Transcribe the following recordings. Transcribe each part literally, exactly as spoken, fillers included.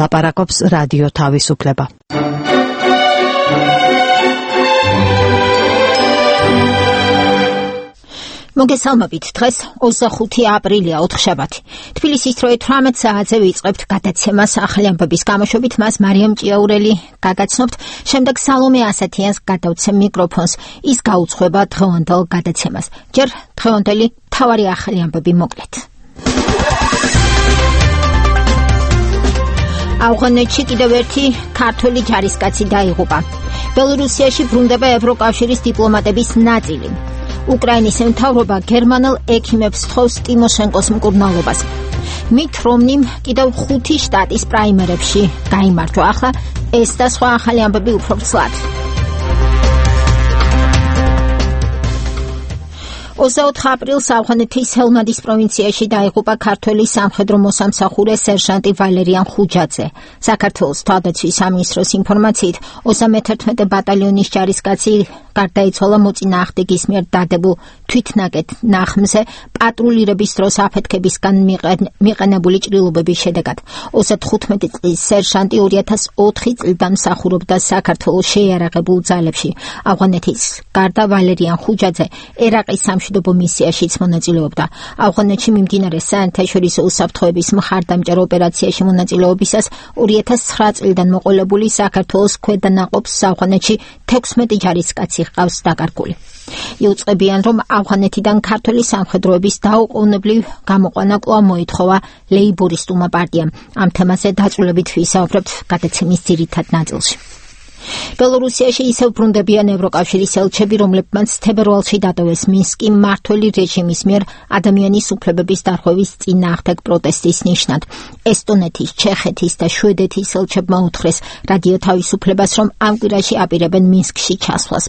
ლაპარაკობს რადიო თავისუფლება. მოგესალმებით, დღეს ოცდახუთი აპრილია, ოთხშაბათი. თბილისის დროით თვრამეტ საათზე ვიწყებთ გადაცემას ახალი ამბების გამოშვებით, მას მარიამ ჭიაურელი გაგაცნობთ, შემდეგ სალომე ასათიანს გადავცემ მიკროფონს, ის გაუძღვება დღევანდელ გადაცემას. ჯერ დღევანდელი მთავარი ახალი ამბები მოკლედ. ავღანეთში კიდევ ერთი ქართველი ჯარისკაცი დაიღუპა. ბელორუსიაში ბრუნდება ევროკავშირის დიპლომატების ნაწილი. უკრაინის მთავრობა გერმანელ ექიმებს თხოვს ტიმოშენკოს მკურნალობას. მით რომნიმ კიდევ ხუთი შტატის პრაიმერებში გაიმარჯვა. ახლა ეს და სხვა ახალი ამბები უფრო ცლად. ოცდაოთხ აპრილს ავღანეთის ჰელმანდის პროვინციაში დაიღუპა ქართველი სამხედრო მოსამსახურე სერჟანტი ვალერიან ხუჯაძე. საქართველოს თავდაცვის სამინისტროს ინფორმაციით ოცდამეთერთმეტე ბატალიონის ჯარისკაცი გარდაიცვალა მოწინააღმდეგის მიერ დადებულ თვითნაკეთ ნახმზე პატრულირების დროს აფეთქებისგან მიყენებული ჭრილობების შედეგად. ოცდათხუთმეტი წლის სერჟანტი ორი ათას ოთხი წლიდან მსახურობდა საქართველოს შეიარაღებულ ძალებში. ავღანეთის გარდა ვალერიან ხუჯაძე ერაყის სამშვიდობო მისიაშიც მონაწილეობდა. ავღანეთში მიმდინარე საერთაშორისო უსაფრთხოების მხარდამჭერ ოპერაციაში მონაწილეობისას ორი ათას ცხრა წლიდან მოყოლებული საქართველოს ქვედანაყოფს ავღანეთში თექვსმეტი ჯარისკაცი ყავს დაკარგული. იუწყებიან, რომ ავღანეთიდან ქართული სამხედროების დაუყოვნებლივ გამოყვანა კვლავ მოითხოვა ლეიბორისტულმა პარტიამ. ამ თემაზე დაწვრილებით ვისაუბრებთ გადაცემის ძირითად ნაწილში. ბელორუსიაში ისევ ბრუნდებიან ევროკავშირის ელჩები, რომლებმაც თებერვალში დატოვეს მინსკი მმართველი რეჟიმის მიერ ადამიანის უფლებების დარღვევის წინააღმდეგ პროტესტის ნიშნად. ესტონეთის, ჩეხეთის და შვედეთის ელჩებმა უთხრეს რადიო თავისუფლებას, რომ ამ კვირაში აპირებენ მინსკში ჩასვლას.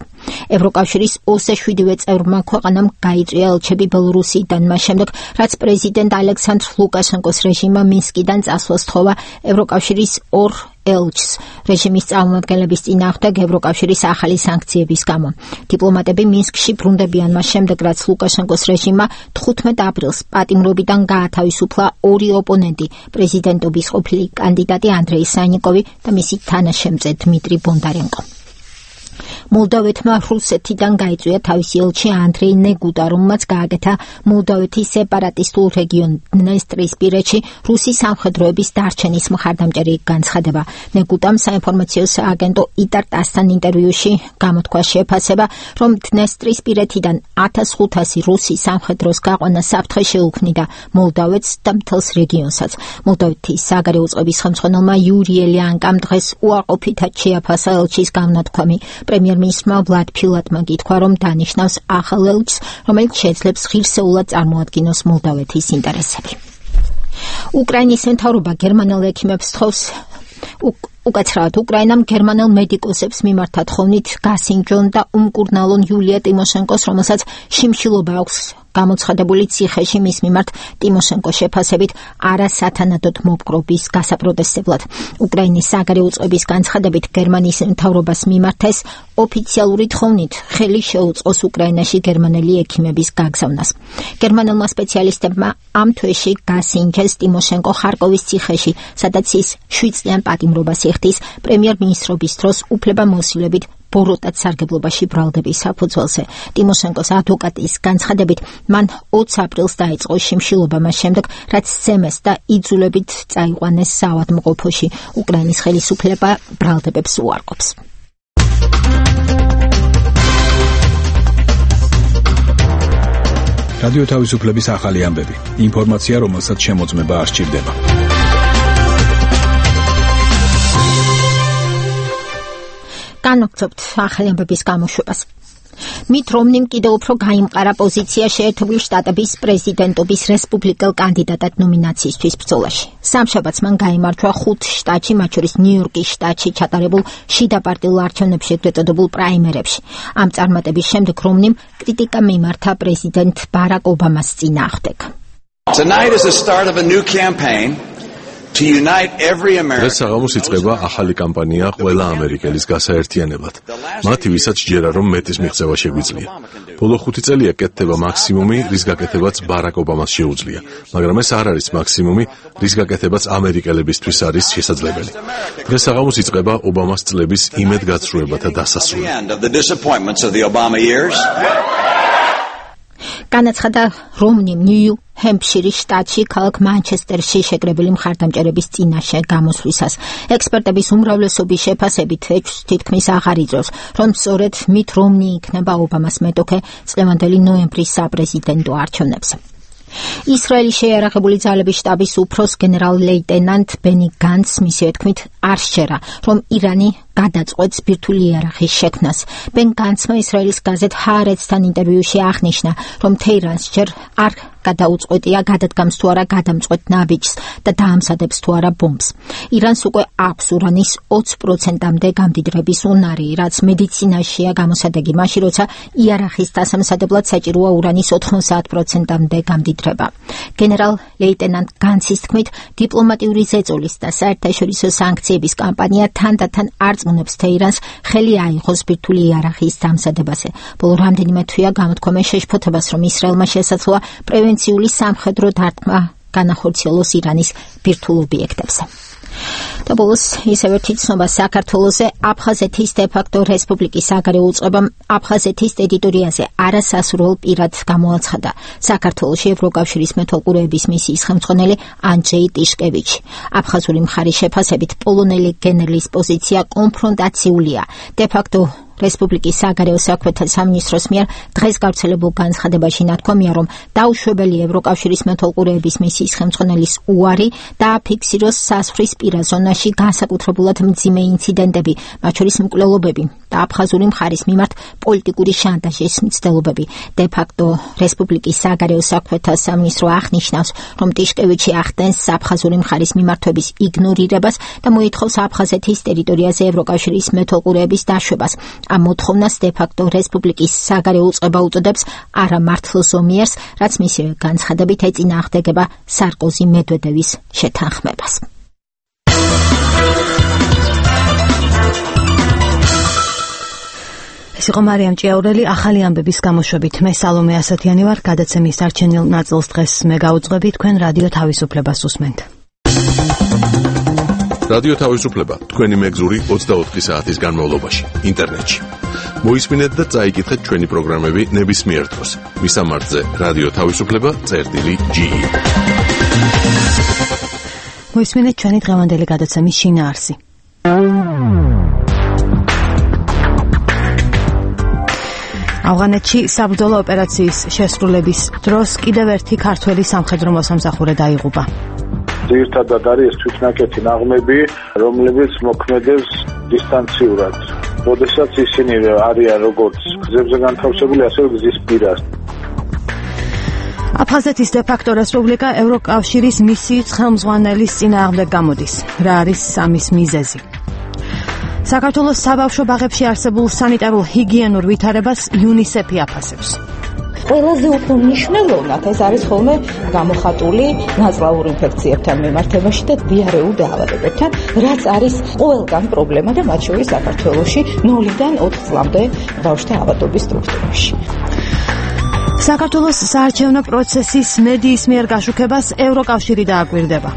ევროკავშირის ოცდაშვიდივე წევრმა ქვეყანამ გაიწვია ელჩები ბელორუსიდან, მას შემდეგ, რაც პრეზიდენტ ალექსანდრ ლუკაშენკოს რეჟიმმა მინსკიდან წასვლას თხოვა ევროკავშირის ორ ელჩს რეჟიმის წარმომადგენლების წინააღმდეგ ევროკავშირის ახალი სანქციების გამო. დიპლომატები მინსკში ბრუნდებიან მას შემდეგ, რაც ლუკაშენკოს რეჟიმმა თხუთმეტ აპრილს პატიმრობიდან გაათავისუფლა ორი ოპონენტი, პრეზიდენტობის ყოფილი კანდიდატი ანდრეი სანიკოვი და მისი თანაშემწე დმიტრი ბონდარენკო. მოლდოვეთმა რუსეთიდან გაიწვია თავისი ელჩი ანდრეი ნეგუტა, რომელმაც გააკეთა მოლდოვეთის სეპარატისტულ რეგიონ დნესტრისპირეთში რუსი სამხედროების დარჩენის მხარდამჭერი განცხადება. ნეგუტამ საინფორმაციო სააგენტო იტარ-ტასთან ინტერვიუში გამოთქვა შეფასება, რომ დნესტრისპირეთიდან ათას ხუთასი რუსი სამხედროს გაყვანა საფრთხე შეუქმნიდა მოლდოვეთს და მთელს რეგიონსაც. მოლდოვეთის საგარეო წყობის ხელმძღვანელმა იური ელიანკამ დღეს უარყოფითად შეაფასა ელჩის გამონათქვამი. პრემიერ-მინისტრმა ვლად ფილატმა გითხრა, რომ დანიშნავს ახალ ელჩს, რომელიც შეძლებს ღირსეულად წარმოადგინოს მოლდოვეთის ინტერესები. უკრაინის მთავრობა გერმანელ ექიმებს თხოვს უკაცრავად უკრაინამ გერმანელ მედიკოსებს მიმართა თხოვნით გასინჯონ და უმკურნალონ იულია ტიმოშენკოს, რომელსაც შიმშილობა აქვს გამოცხადებული ციხეში მის მიმართ ტიმოშენკოს შეფასებით არასათანადოდ მოპყრობის გასაპროტესტებლად. უკრაინის საგარეო წყობის განცხადებით გერმანიის მთავრობას მიმართ ეს ოფიციალური თხოვნით ხელი შეუწყოს უკრაინაში გერმანელი ექიმების გაგზავნას. გერმანელმა სპეციალისტებმა ამ თვეში გასინჯეს ტიმოშენკო ხარკოვის ციხეში, სადაც ის შვიდ წლიან პატიმრობას იხდის პრემიერ-მინისტრობის დროს უფლებამოსილებით ბოროტად სარგებლობაში ბრალდების საფუძველზე. ტიმოშენკოს ადვოკატის განცხადებით, მან ოცი აპრილს დაიწყო შიმშილობა მას შემდეგ, რაც სცემეს და იძულებით წაიყვანეს საავადმყოფოში. უკრაინის ხელისუფლება ბრალდებებს უარყოფს. რადიო თავისუფლების ახალი ამბები. ინფორმაცია, რომელსაც შემოწმება არ სჭირდება. განვაგრძობთ ახალი ამბების გამოშვებას. მით რომნიმ კიდევ უფრო გაიმყარა პოზიცია შეერთებული შტატების პრეზიდენტობის რესპუბლიკელ კანდიდატად ნომინაციისთვის ბრძოლაში. სამშაბათს მან გაიმარჯვა ხუთ შტატში, მათ შორის ნიუ-იორკის შტატში ჩატარებულ შიდა პარტიულ არჩევნებში ეწოდებულ პრაიმერებში. ამ წარმატების შემდეგ რომნიმ კრიტიკა მიმართა პრეზიდენტ ბარაკ ობამას წინააღმდეგ. Tonight is the start of a new campaign დღეს საღამოს იწყება ახალი კამპანია ყველა ამერიკელის გასაერთიანებლად. მათი, ვისაც ჯერა რომ მეტის მიღწევა შეგვიძლია. ბოლო ხუთი წელია კეთდება მაქსიმუმი, რის გაკეთებაც ბარაკ ობამას შეუძლია, მაგრამ ეს არ არის მაქსიმუმი, რის გაკეთებაც ამერიკელებისთვის არის შესაძლებელი. დღეს საღამოს იწყება ობამას წლების იმედგაცრუებათა დასასრული. განაცხადა რომნი ნიუ ჰემპშირის შტატში ქალაქ მანჩესტერში შეკრებილი მხარდამჭერების წინაშე გამოსვლისას. ექსპერტების უმრავლესობის შეფასებით თითქმის აღარ იძლევს, რომ სწორედ მით რომნი იქნება ობამას მეტოქე წლევანდელი ნოემბრის საპრეზიდენტო არჩევნებზე. ისრაელის შეიარაღებული ძალების შტაბის უფროს გენერალ-ლეიტენანტ ბენი განცს მისივე თქმით არ სჯერა, რომ ირანი გადაწყვეტს ბირთვული იარაღის შექმნას. ბენ განცმა ისრაელის გაზეთ ჰაარეცთან ინტერვიუში აღნიშნა, რომ თეირანს ჯერ არ გადაუწყვეტია გადადგამს თუ არა გადამწყვეტ ნაბიჯს და დაამზადებს თუ არა ბომბს. ირანს უკვე აქვს ურანის ოცი პროცენტამდე გამდიდრების უნარი, რაც მედიცინაშია გამოსადეგი მაშინ, როცა იარაღის დასამზადებლად საჭიროა ურანის ოთხმოცდაათ პროცენტამდე გამდიდრება. გენერალ-ლეიტენანტ განცის თქმით, დიპლომატიური ზეწოლის და საერთაშორისო სანქციების კამპანია თანდათან არწმუნებს თეირანს ხელი აიღოს ბირთვული იარაღის დამზადებაზე. ბოლო რამდენიმე თვეა გამოთქვამენ შეშფოთებას, რომ ისრაელმა შესაძლოა პრევენციული სამხედრო დარტყმა განახორციელოს ირანის ბირთვულ ობიექტებზე. და ბოლოს ისევ ერთი ცნობა საქართველოზე. აფხაზეთის დე-ფაქტო რესპუბლიკის საგარეო უწყებამ აფხაზეთის ტერიტორიაზე არასასურველ პირად გამოაცხადა საქართველოში ევროკავშირის მეთვალყურეების მისიის ხელმძღვანელი ანჯეი ტიშკევიჩი. აფხაზური მხარის შეფასებით პოლონელი გენერლის პოზიცია კონფრონტაციულია. დე-ფაქტო რესპუბლიკის საგარეო საქმეთა სამინისტროს მიერ დღეს გავრცელებულ განცხადებაში ნათქვამია, რომ დაუშვებელია ევროკავშირის მეთვალყურეების მისიის ხელმძღვანელის უარი დააფიქსიროს საზღვრისპირა ზონაში განსაკუთრებულად მძიმე ინციდენტები, მათ შორის მკვლელობები და აფხაზური მხარის მიმართ პოლიტიკური შანტაჟის მცდელობები. დე-ფაქტო რესპუბლიკის საგარეო საქმეთა სამინისტრო აღნიშნავს, რომ ტიშკევიჩი ახდენს აფხაზური მხარის მიმართვების იგნორირებას და მოითხოვს აფხაზეთის ტერიტორიაზე ევროკავშირის მეთვალყურეების დაშვებას. ამ მოთხოვნას დე-ფაქტო რესპუბლიკის საგარეო უწყება უწოდებს არამართლზომიერს, რაც მისივე განცხადებით ეწინააღმდეგება სარკოზი მედვედევის შეთანხმებას. ეს იყო მარიამ ჭიაურელი ახალი ამბების გამოშვებით. მე სალომე ასათიანი ვარ, გადაცემის დარჩენილ ნაწილს დღეს მე გავუძღვები, თქვენ რადიო თავისუფლებას უსმენთ. რადიო თავისუფლება თქვენი მეგზური ოცდაოთხი საათის განმავლობაში ინტერნეტში. მოისმინეთ და წაიკითხეთ ჩვენი პროგრამები ნებისმიერ დროს. მისამართზე რადიო თავისუფლება წერტილი ჯი ი. მოისმინეთ ჩვენი დღევანდელი გადაცემის შინაარსი. ავღანეთში საბრძოლო ოპერაციის შესრულების დროს კიდევ ერთი ქართველი სამხედრო მოსამსახურე დაიღუპა. ძირითადად არის თვითნაკეთი ნაღმები, რომლებიც მოქმედებს დისტანციურად. როდესაც ისინი არიან როგორც გზებზე განთავსებული, ასევე გზის პირას. აფხაზეთის დე-ფაქტო რესპუბლიკა ევროკავშირის მისიის ხელმძღვანელის წინააღმდეგ გამოდის. რა არის ამის მიზეზი? საქართველოს საბავშვო ბაღებში არსებულ სანიტარულ ჰიგიენურ ვითარებას იუნისეფი აფასებს. ყველაზე უფრო მნიშვნელოვნად ეს არის ხოლმე გამოხატული ნაწლავურ ინფექციებთან მიმართებაში და დიარეულ დაავადებებთან, რაც არის ყველგან პრობლემა და მათ შორის საქართველოში ნულიდან ოთხ წლამდე ბავშვთა ავადობის სტრუქტურაში. საქართველოს საარჩევნო პროცესის მედიის მიერ გაშუქებას ევროკავშირი დააკვირდება.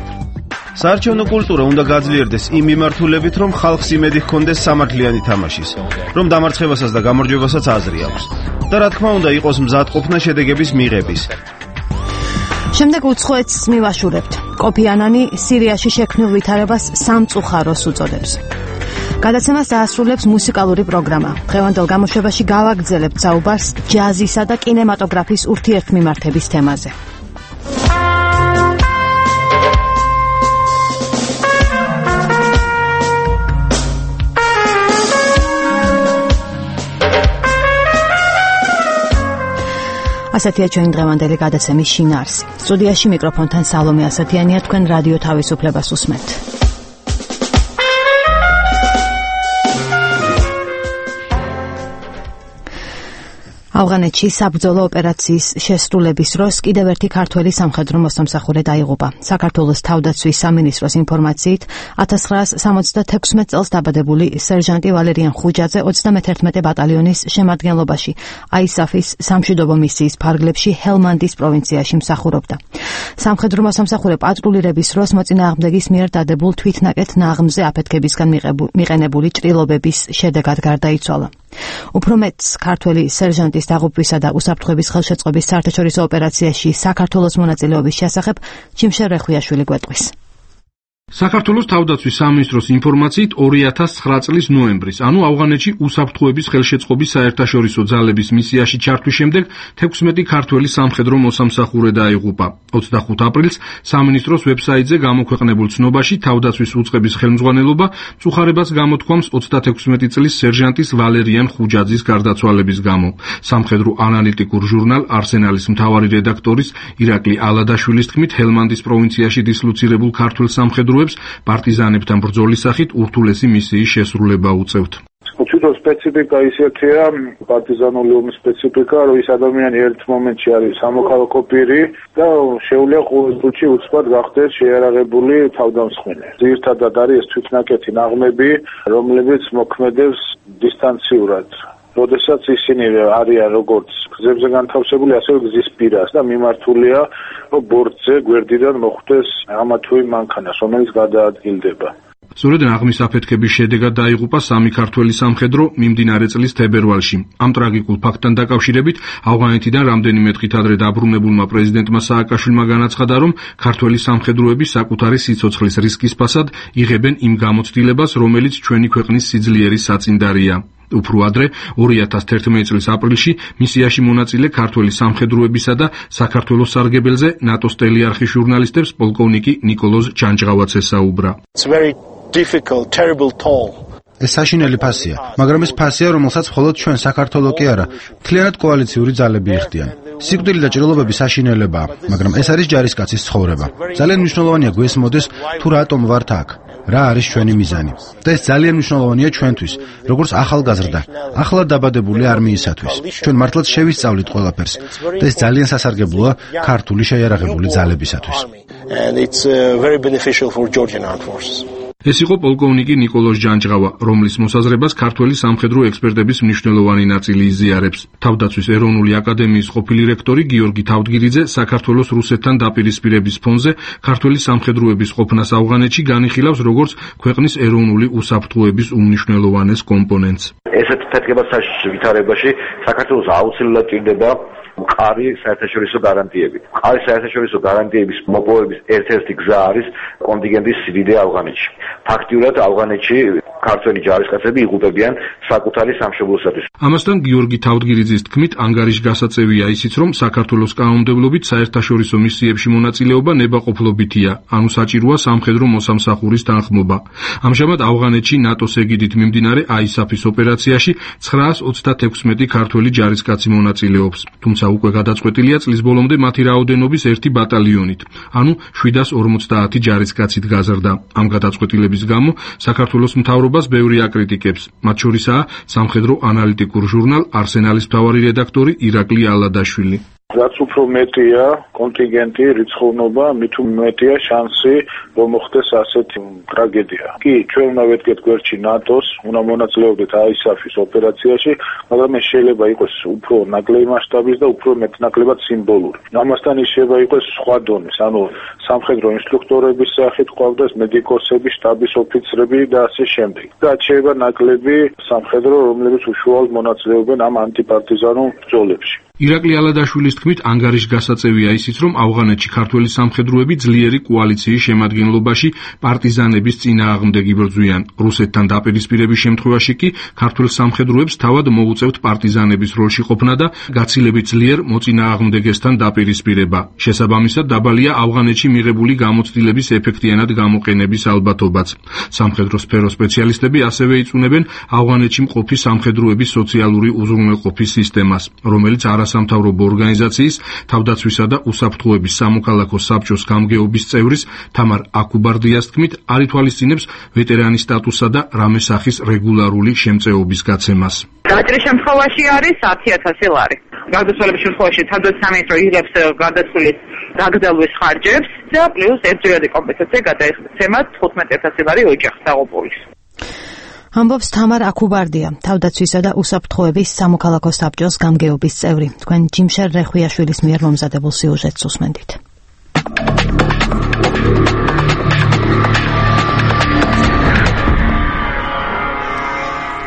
საარჩევნო კულტურა უნდა გაძლიერდეს იმ მიმართულებით, რომ ხალხს იმედი ჰქონდეს სამართლიანი თამაშის, რომ დამარცხებასაც და გამარჯვებასაც აზრი აქვს. და რა თქმა უნდა იყოს მზადყოფნა შედეგების მიღების. შემდეგ უცხოეთს მივაშურებთ. კოფი ანანი სირიაში შექმნილ ვითარებას სამწუხაროს უწოდებს. გადაცემას დაასრულებს მუსიკალური პროგრამა. დღევანდელ გამოშვებაში გავაგრძელებთ საუბარს ჯაზისა და კინემატოგრაფის ურთიერთმიმართების თემაზე. ასეთია ჩვენი დღევანდელი გადაცემის შინაარსი. სტუდიაში მიკროფონთან სალომე ასათიანია, თქვენ რადიო თავისუფლებას უსმენთ. ავღანეთში საბრძოლო ოპერაციის შესრულების დროს კიდევ ერთი ქართველი სამხედრო მოსამსახურე დაიღუპა. საქართველოს თავდაცვის სამინისტროს ინფორმაციით, ათას ცხრაას სამოცდათექვსმეტ წელს დაბადებული სერჟანტი ვალერიან ხუჯაძე ოცდამეთერთმეტე ბატალიონის შემადგენლობაში აისაფის სამშვიდობო მისიის ფარგლებში ჰელმანდის პროვინციაში მსახურობდა. სამხედრო მოსამსახურე პატრულირების დროს მოწინააღმდეგის მიერ დადებულ თვითნაკეთ ნაღმზე აფეთქებისგან მიყენებული ჭრილობების შედეგად გარდაიცვალა. უფრო მეტს ქართველი სერჟანტის დაღუპვისა და უსაფრთხოების ხელშეწყობის საერთაშორისო ოპერაციაში საქართველოს მონაწილეობის შესახებ ჯიმშე რეხვიაშვილი გვეტყვის. საქართველოს თავდაცვის სამინისტროს ინფორმაციით ორი ათას ცხრა წლის ნოემბრის, ანუ ავღანეთში უსაფრთხოების ხელშეწყობის საერთაშორისო ძალების მისიაში ჩართვის შემდეგ თექვსმეტი ქართველი სამხედრო მოსამსახურე დაიღუპა. ოცდახუთ აპრილს სამინისტროს ვებსაიტზე გამოქვეყნებულ ცნობაში თავდაცვის უწყების ხელმძღვანელობა მწუხარებას გამოთქვამს ოცდათექვსმეტი წლის სერჟანტის ვალერიან ხუჯაძის გარდაცვალების გამო. სამხედრო ანალიტიკურ ჟურნალ არსენალის მთავარი რედაქტორის ირაკლი ალადაშვილის თქმით, ჰელმანდის პროვინციაში დისლოცირებულ ქართველ სამხედრო პარტიზანებთან ბრძოლის სახით ურთულესი მისიის შესრულება უწევთ. თვითონ სპეციფიკა ისეთია, პარტიზანული ომის სპეციფიკა, რომ ის ადამიანი ერთ მომენტში არის სამოქალაქო პირი და შეუძლია ყოველ წუთში უცბად გახდეს შეიარაღებული თავდამსხმელი. ძირითადად არის ეს თვითნაკეთი ნაღმები, რომლებიც მოქმედებს დისტანციურად. როდესაც ისინი არიან როგორც გზებზე განთავსებული, ასევე გზის პირას და მიმართულია, რომ ბორტზე გვერდიდან მოხვდეს ამა თუ იმ მანქანას, რომელიც გადაადგილდება. სწორედ ნაღმის აფეთქების შედეგად დაიღუპა სამი ქართველი სამხედრო მიმდინარე წლის თებერვალში. ამ ტრაგიკულ ფაქტთან დაკავშირებით ავღანეთიდან რამდენიმე დღით ადრე დაბრუნებულმა პრეზიდენტმა სააკაშვილმა განაცხადა, რომ ქართველი სამხედროები საკუთარი სიცოცხლის რისკის ფასად იღებენ იმ გამოცდილებას, რომელიც ჩვენი ქვეყნის სიძლიერის საწინდარია. უფრო ადრე ორი ათას თერთმეტი წლის აპრილში მისიაში მონაწილე ქართველი სამხედროებისა და საქართველოს სარგებელზე ნატოს ტელეარხის ჟურნალისტებს პოლკოვნიკი ნიკოლოზ ჯანჯღავაც ესაუბრა. ეს საშინელი ფასია, მაგრამ ეს ფასია, რომელსაც მხოლოდ ჩვენ საქართველო კი არა, მთლიანად კოალიციური ძალები იხდიან. სიკვდილი და ჭრილობები საშინელებაა, მაგრამ ეს არის ჯარისკაცის ცხოვრება. ძალიან მნიშვნელოვანია გვესმოდეს, თუ რატომ ვართ აქ, რა არის ჩვენი მიზანი. და ეს ძალიან მნიშვნელოვანია ჩვენთვის, როგორც ახალგაზრდა, ახლა დაბადებული არმიისათვის. ჩვენ მართლაც შევისწავლით ყველაფერს და ეს ძალიან სასარგებლოა ქართული შეიარაღებული ძალებისათვის. ეს იყო პოლკოვნიკი ნიკოლოზ ჯანჯღავა, რომლის მოსაზრებას ქართველი სამხედრო ექსპერტების მნიშვნელოვანი ნაწილი იზიარებს. თავდაცვის ეროვნული აკადემიის ყოფილი რექტორი გიორგი თავდგირიძე საქართველოს რუსეთთან დაპირისპირების ფონზე ქართველი სამხედროების ყოფნას ავღანეთში განიხილავს როგორც ქვეყნის ეროვნული უსაფრთხოების უმნიშვნელოვანეს კომპონენტს. ესეთ ფეთქებასთან ვითარებაში საქართველოს აუცილებლად ჭირდება მყარი საერთაშორისო გარანტიები. მყარი საერთაშორისო გარანტიების მოპოვების ერთ-ერთი გზა არის კონტინგენტის სიდიდე ავღანეთში. ფაქტიურად ავღანეთში ქართველი ჯარისკაცები იღუპებიან საკუთარი სამშობლოსათვის. ამასთან გიორგი თავდგირიძის თქმით, ანგარიშგასაწევია ისიც, რომ საქართველოს კანონმდებლობით საერთაშორისო მისიებში მონაწილეობა ნებაყოფლობითია, ანუ საჭიროა სამხედრო მოსამსახურის თანხმობა. ამჟამად ავღანეთში ნატოს ეგიდით მიმდინარე აისაფის ოპერაციაში ცხრაას ოცდათექვსმეტი ქართველი ჯარისკაცი მონაწილეობს. თუმცა უკვე გადაწყვეტილია წლის ბოლომდე მათი რაოდენობის ერთი ბატალიონით, ანუ შვიდას ორმოცდაათი ჯარისკაცით გაზრდა. ამ გადაწყვეტილების გამო საქართველოს მთავრობას ბევრი აკრიტიკებს, მათ შორისაა სამხედრო ანალიტიკურ ჟურნალ არსენალის მთავარი რედაქტორი ირაკლი ალადაშვილი. რაც უფრო მეტია კონტინგენტი, რიცხოვნობა, მით უმეტია შანსი, რომ მოხდეს ასეთი ტრაგედია. კი, ჩვენ უნდა ვედგეთ გვერდში ნატოს, უნდა მონაწილეობდეთ აისაფის ოპერაციაში, მაგრამ ეს შეიძლება იყოს უფრო ნაკლები მასშტაბის და უფრო მეტნაკლებად სიმბოლური. ამასთან ის შეიძლება იყოს სხვა დონის, ანუ სამხედრო ინსტრუქტორების სახით ყავდეს მედიკოსები, შტაბის ოფიცრები და ასე შემდეგ. და შეიძლება ნაკლები სამხედრო, რომლებიც უშუალოდ მონაწილეობენ ამ ანტიპარტიზანულ ბრძოლებში. ირაკლი ალადაშვილის თქმით, ანგარიშგასაწევია ისიც, რომ ავღანეთში ქართველი სამხედროები ძლიერი კოალიციის შემადგენლობაში პარტიზანების წინააღმდეგ იბრძვიან. რუსეთთან დაპირისპირების შემთხვევაში კი ქართველ სამხედროებს თავად მოუწევთ პარტიზანების როლში ყოფნა და გაცილებით ძლიერ მოწინააღმდეგესთან დაპირისპირება. შესაბამისად, დაბალია ავღანეთში მიღებული გამოცდილების ეფექტიანად გამოყენების ალბათობაც. სამხედრო სფეროს სპეციალისტები ასევე იწუნებენ ავღანეთში მყოფი სამხედროების სოციალური უზრუნველყოფის სისტემას, რომელიც არა არასამთავრობო ორგანიზაციის თავდაცვისა და უსაფრთხოების სამოქალაქო საბჭოს გამგეობის წევრის თამარ აკუბარდიას თქმით, არ ითვალისწინებს ვეტერანის სტატუსსა და რამე სახის რეგულარული შემწეობის გაცემას. გაჭრის შემთხვევაში არის ათი ათასი ლარი. გარდაცვალების შემთხვევაში თავდაცვის სამინისტრო იღებს გარდაცვალის დაგრძელვის ხარჯებს და პლუს ერთჯერადი კომპენსაცია გადაეცემა თხუთმეტი ათასი ლარი ოჯახს დაღუპულის. ამბობს თამარ აკუბარდია, თავდაცვისა და უსაფრთხოების სამოქალაქო საბჭოს გამგეობის წევრი. თქვენ ჯიმშერ რეხვიაშვილის მიერ მომზადებულ სიუჟეტს უსმენთ.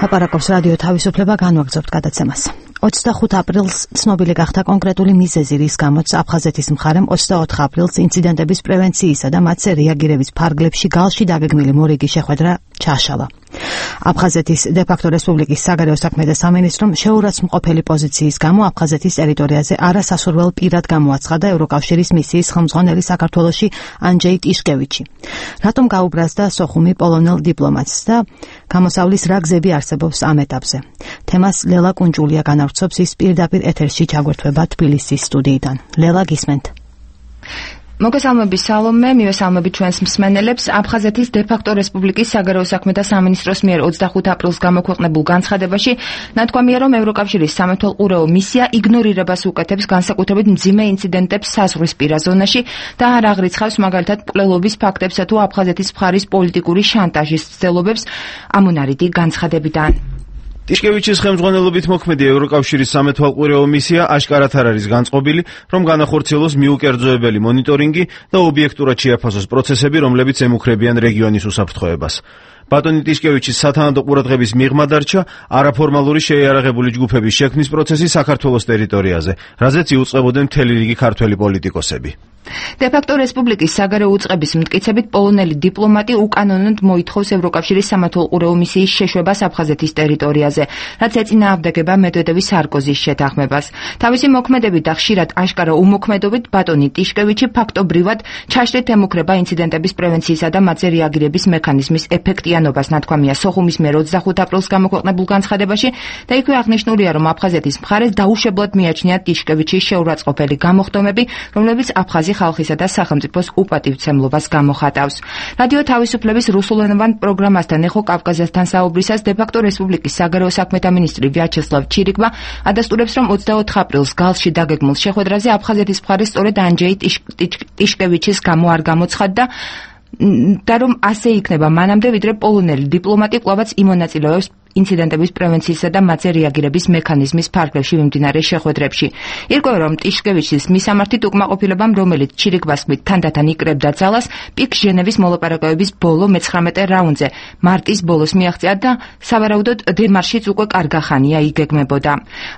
აპარაკობს რადიო თავისუფლება, განვაგრძობთ გადაცემას. ოცდახუთ აპრილს ცნობილი გახდა კონკრეტული მიზეზი, რის გამოც აფხაზეთის მხარემ ოცდაოთხ აპრილს ინციდენტების პრევენციისა და მათზე რეაგირების ფარგლებში გალში დაგეგმილი მორიგი შეხვედრა ჩაშალა. აფხაზეთის დე-ფაქტო რესპუბლიკის საგარეო საქმეთა სამინისტრომ შეურაცხმყოფელი პოზიციის გამო აფხაზეთის ტერიტორიაზე არასასურველ პირად გამოაცხადა ევროკავშირის მისიის ხელმძღვანელი საქართველოში ანჯეი ტიშკევიჩი. რატომ გაუბრაზდა სოხუმი პოლონელ დიპლომატს და გამოსავლის რა გზები არსებობს ამ ეტაპზე? თემას ლელა კუნჯულია განავრცობს, ის პირდაპირ ეთერში ჩაგვერთვება თბილისის სტუდიიდან. ლელა, გისმენთ. მოგესალმებით სალომე, მივესალმებით ჩვენს მსმენელებს. აფხაზეთის დე-ფაქტო რესპუბლიკის საგარეო საქმეთა სამინისტროს მიერ ოცდახუთ აპრილს გამოქვეყნებულ განცხადებაში ნათქვამია, რომ ევროკავშირის სამეთვალყურეო მისია იგნორირებას უკეთებს განსაკუთრებით მძიმე ინციდენტებს საზღვრისპირა ზონაში და არ აღრიცხავს მაგალითად მკვლელობის ფაქტებსა თუ აფხაზეთის მხარის პოლიტიკური შანტაჟის ცდილობებს. ამონარიდი განცხადებიდან. ტიშკევიჩის ხელმძღვანელობით მოქმედი ევროკავშირის სამეთვალყურეო მისია აშკარად არ არის განწყობილი, რომ განახორციელოს მიუკერძოებელი მონიტორინგი და ობიექტურად შეაფასოს პროცესები, რომლებიც ემუქრებიან რეგიონის უსაფრთხოებას. ბატონი ტიშკევიჩის სათანადო ყურადღების მიღმა დარჩა არაფორმალური შეიარაღებული ჯგუფების შექმნის პროცესი საქართველოს ტერიტორიაზე, რაზეც იუწყებოდნენ მთელი რიგი ქართველი პოლიტიკოსები. დე-ფაქტო რესპუბლიკის საგარეო უწყების მტკიცებით პოლონელი დიპლომატი უკანონოდ მოითხოვს ევროკავშირის სამეთვალყურეო მისიის შეშვებას აფხაზეთის ტერიტორიაზე, რაც ეწინააღმდეგება მედვედევის სარკოზის შეთანხმებას. თავისი მოქმედებით და ხშირად აშკარა უმოქმედობით ბატონი ტიშკევიჩი ფაქტობრივად ჩაშლით ემუქრება ინციდენტების პრევენციისა და მათზე რეაგირების მექანიზმის ეფექტიანობას, ნათქვამია სოხუმის მიერ ოცდახუთ აპრილს გამოქვეყნებულ განცხადებაში და იქვე აღნიშნულია, რომ აფხაზეთის მხარეს დაუშებლად მიაჩნია ტიშკევიჩის შეურაცხყოფელი გამოხდომები, რომლებიც აფხაზი ხალხისა და სახელმწიფოს უპატივცემლობას გამოხატავს. რადიო თავისუფლების რუსულენოვან პროგრამასთან ეხო კავკაზასთან საუბრისას დე-ფაქტო რესპუბლიკის საგარეო საქმეთა მინისტრი ვიაჩესლავ ჩირიკმა ადასტურებს, რომ ოცდაოთხ აპრილს გალში დაგეგმულ შეხვედრაზე აფხაზეთის მხარე სწორედ ანჯეი ტიშკევიჩის გამო არ გამოცხადდა და რომ ასე იქნება მანამდე, ვიდრე პოლონელი დიპლომატი კვლავაც იმონაწილეობს ინციდენტების პრევენციისა და მათზე რეაგირების მექანიზმის ფარგლებში მიმდინარე შეხვედრებში. ირკვევა, რომ ტიშკევიჩის მისამართი უკმაყოფილებამ, რომელიც ჩირიკბას თქმით თანდათან იკრებდა ძალას, პიკ ჟენევის მოლაპარაკებების ბოლო მეცხრამეტე რაუნდზე მარტის ბოლოს მიაღწია და სავარაუდოდ დემარშიც უკვე კარგახანია იგეგმებოდა.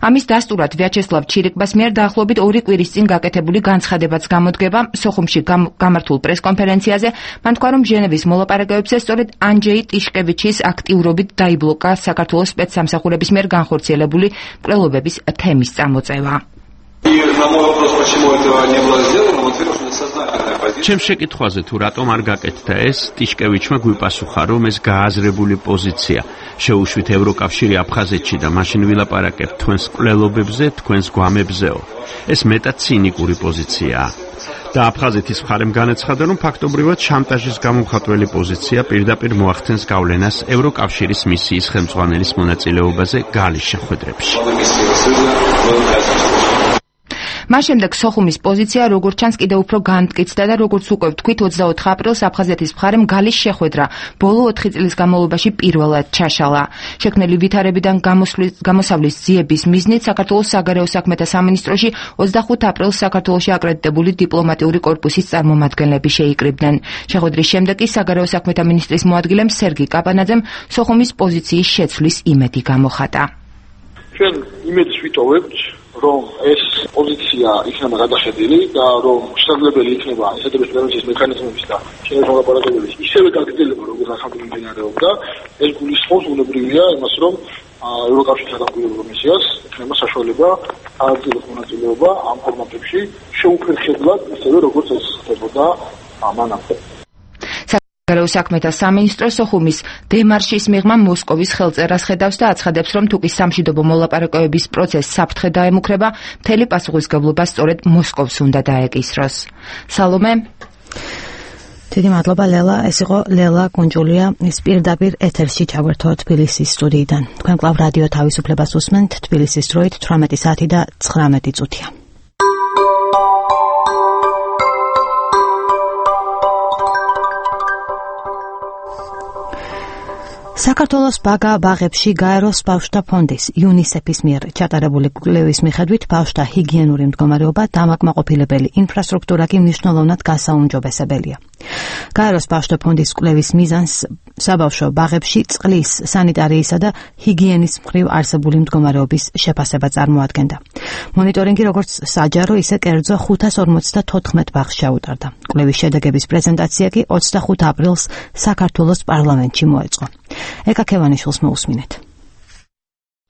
ამის დასტურად ვიაჩესლავ ჩირიკბას მიერ დაახლოებით ორი კვირის წინ გაკეთებული განცხადებაც გამოდგება. სოხუმში გამართულ პრესკონფერენციაზე მან თქვა, რომ ჟენევის მოლაპარაკებებზე სწორედ ანჯეი ტიშკევიჩის აქტიურობით დაიბლოკა საქართველოს სპეცსამსახურების მიერ განხორციელებული მკვლელობების თემის წამოწევა. ჩემს შეკითხვაზე თუ რატომ არ გაკეთდა ეს, ტიშკევიჩმა გვიპასუხა, რომ ეს გააზრებული პოზიცია. შეუშვით ევროკავშირი აფხაზეთში და მაშინ ვილაპარაკებთ თქვენს მკვლელობებზე, თქვენს გვამებზეო. ეს მეტად ცინიკური პოზიციაა. და აფხაზეთის მხარემ განაცხადა, რომ ფაქტობრივად შანტაჟის გამომხატველი პოზიცია პირდაპირ მოახდენს გავლენას ევროკავშირის მისიის ხელმძღვანელის მონაწილეობაზე გალის შეხვედრებში. მას შემდეგ სოხუმის პოზიცია როგორც ჩანს კიდევ უფრო განმტკიცდა და როგორც უკვე ვთქვით, ოცდაოთხ აპრილს აფხაზეთის მხარემ გალის შეხვედრა ბოლო ოთხი წლის განმავლობაში პირველად ჩაშალა. შექმნილი ვითარებიდან გამოსავლის ძიების მიზნით საქართველოს საგარეო საქმეთა სამინისტროში ოცდახუთ აპრილს საქართველოში აკრედიტებული დიპლომატიური კორპუსის წარმომადგენლები შეიკრიბნენ. შეხვედრის შემდეგ კი საგარეო საქმეთა მინისტრის მოადგილემ სერგი კაპანაძემ სოხუმის პოზიციის შეცვლის იმედი გამოხატა. ჩვენ იმედს ვიტოვებთ, რომ ეს პოზიცია იქნება გადახედილი და რომ შესაძლებელი იქნება ინციდენტების პრევენციის მექანიზმების და შენების მოლაპარაკებების ისევე გაგრძელება, როგორც ახალ მიმდინარეობდა. ეს გულისხმობს უნებრივია იმას, რომ ევროკავშირის საგამოძიებო მისიას იქნება საშუალება ააგრძელოს მონაწილეობა ამ ფორმატებში შეუფერხებლად, ისევე როგორც ეს ხდებოდა მანამდე. გარეულ საქმეთა სამინისტრო სოხუმის დემარშის მიღმა მოსკოვის ხელწერას ხედავს და აცხადებს, რომ თუკი სამშვიდობო მოლაპარაკებების პროცესს საფრთხე დაემუქრება, მთელი პასუხისმგებლობა სწორედ მოსკოვს უნდა დაეკისროს. სალომე დიდი მადლობა ლელა, ეს იყო ლელა კუნჯულია, ის პირდაპირ ეთერში ჩაგვერთო თბილისის სტუდიიდან. თქვენ კვლავ რადიო თავისუფლებას უსმენთ, თბილისის დროით თვრამეტი საათი და ცხრამეტი წუთია. საქართველოს ბაგა ბაღებში გაეროს ბავშვთა ფონდის იუნისეფის მიერ ჩატარებული კვლევის მიხედვით ბავშვთა ჰიგიენური მდგომარეობა დამაკმაყოფილებელი, ინფრასტრუქტურა კი მნიშვნელოვნად გასაუმჯობესებელია. გაეროს ბავშვთა ფონდის კვლევის მიზანს საბავშვო ბაღებში წყლის, სანიტარიისა და ჰიგიენის მხრივ არსებული მდგომარეობის შეფასება წარმოადგენდა. მონიტორინგი როგორც საჯარო, ისე კერძო ხუთას ორმოცდათოთხმეტ ბაღს ჩაუტარდა. კვლევის შედეგების პრეზენტაცია კი ოცდახუთ აპრილს საქართველოს პარლამენტში მოეწყო. ეკა ქევანიშვილს მოусმინეთ.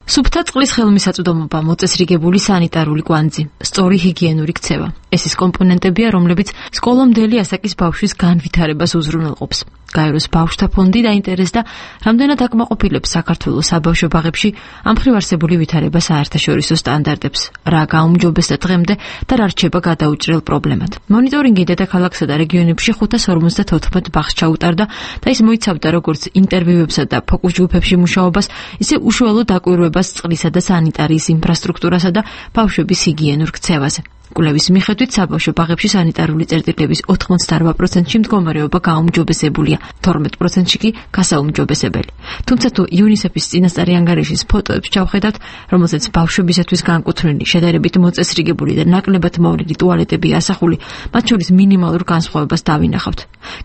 სუფთა წყლის ხელმისაწვდომობა, მოწესრიგებული სანიტარული კვანძი, სწორი ჰიგიენური ქცევა. ეს ის კომპონენტებია, რომლებიც სკოლამდელი ასაკის ბავშვის განვითარებას უზრუნველყოფს. გაეროს ბავშვთა ფონდი დაინტერესდა, რამდენად აკმაყოფილებს საქართველოს საბავშვო ბაღებში ამ მხრივ არსებული ვითარება საერთაშორისო სტანდარტებს, რა გაუმჯობესდა დღემდე და რა რჩება გადაუჭრელ პრობლემად. მონიტორინგი დედაქალაქსა და რეგიონებში ხუთას ორმოცდათოთხმეტ ბაღს ჩაუტარდა და ის მოიცავდა როგორც ინტერვიუებსა და ფოკუს ჯგუფებში მუშაობას, ისე უშუალო დაკვირვებას წყლისა და სანიტარიის ინფრასტრუქტურასა და ბავშვების ჰიგიენურ ქცევაზე. კვლევის მიხედვით საბავშვო ბაღებში სანიტარული წერტილების ოთხმოცდაორ პროცენტში მდგომარეობა გაუმჯობესებულია, თორმეტ პროცენტში კი გასაუმჯობესებელი. თუმცა თუ იუნისეფის წინასწარი ანგარიშის ფოტოებს ჩავხედავთ, რომელზეც ბავშვებისათვის განკუთვნილი, შედარებით მოწესრიგებული და ნაკლებად მოვლილი ტუალეტები ასახული, მათ შორის მინიმალურ განსხვავებას დავინახავთ.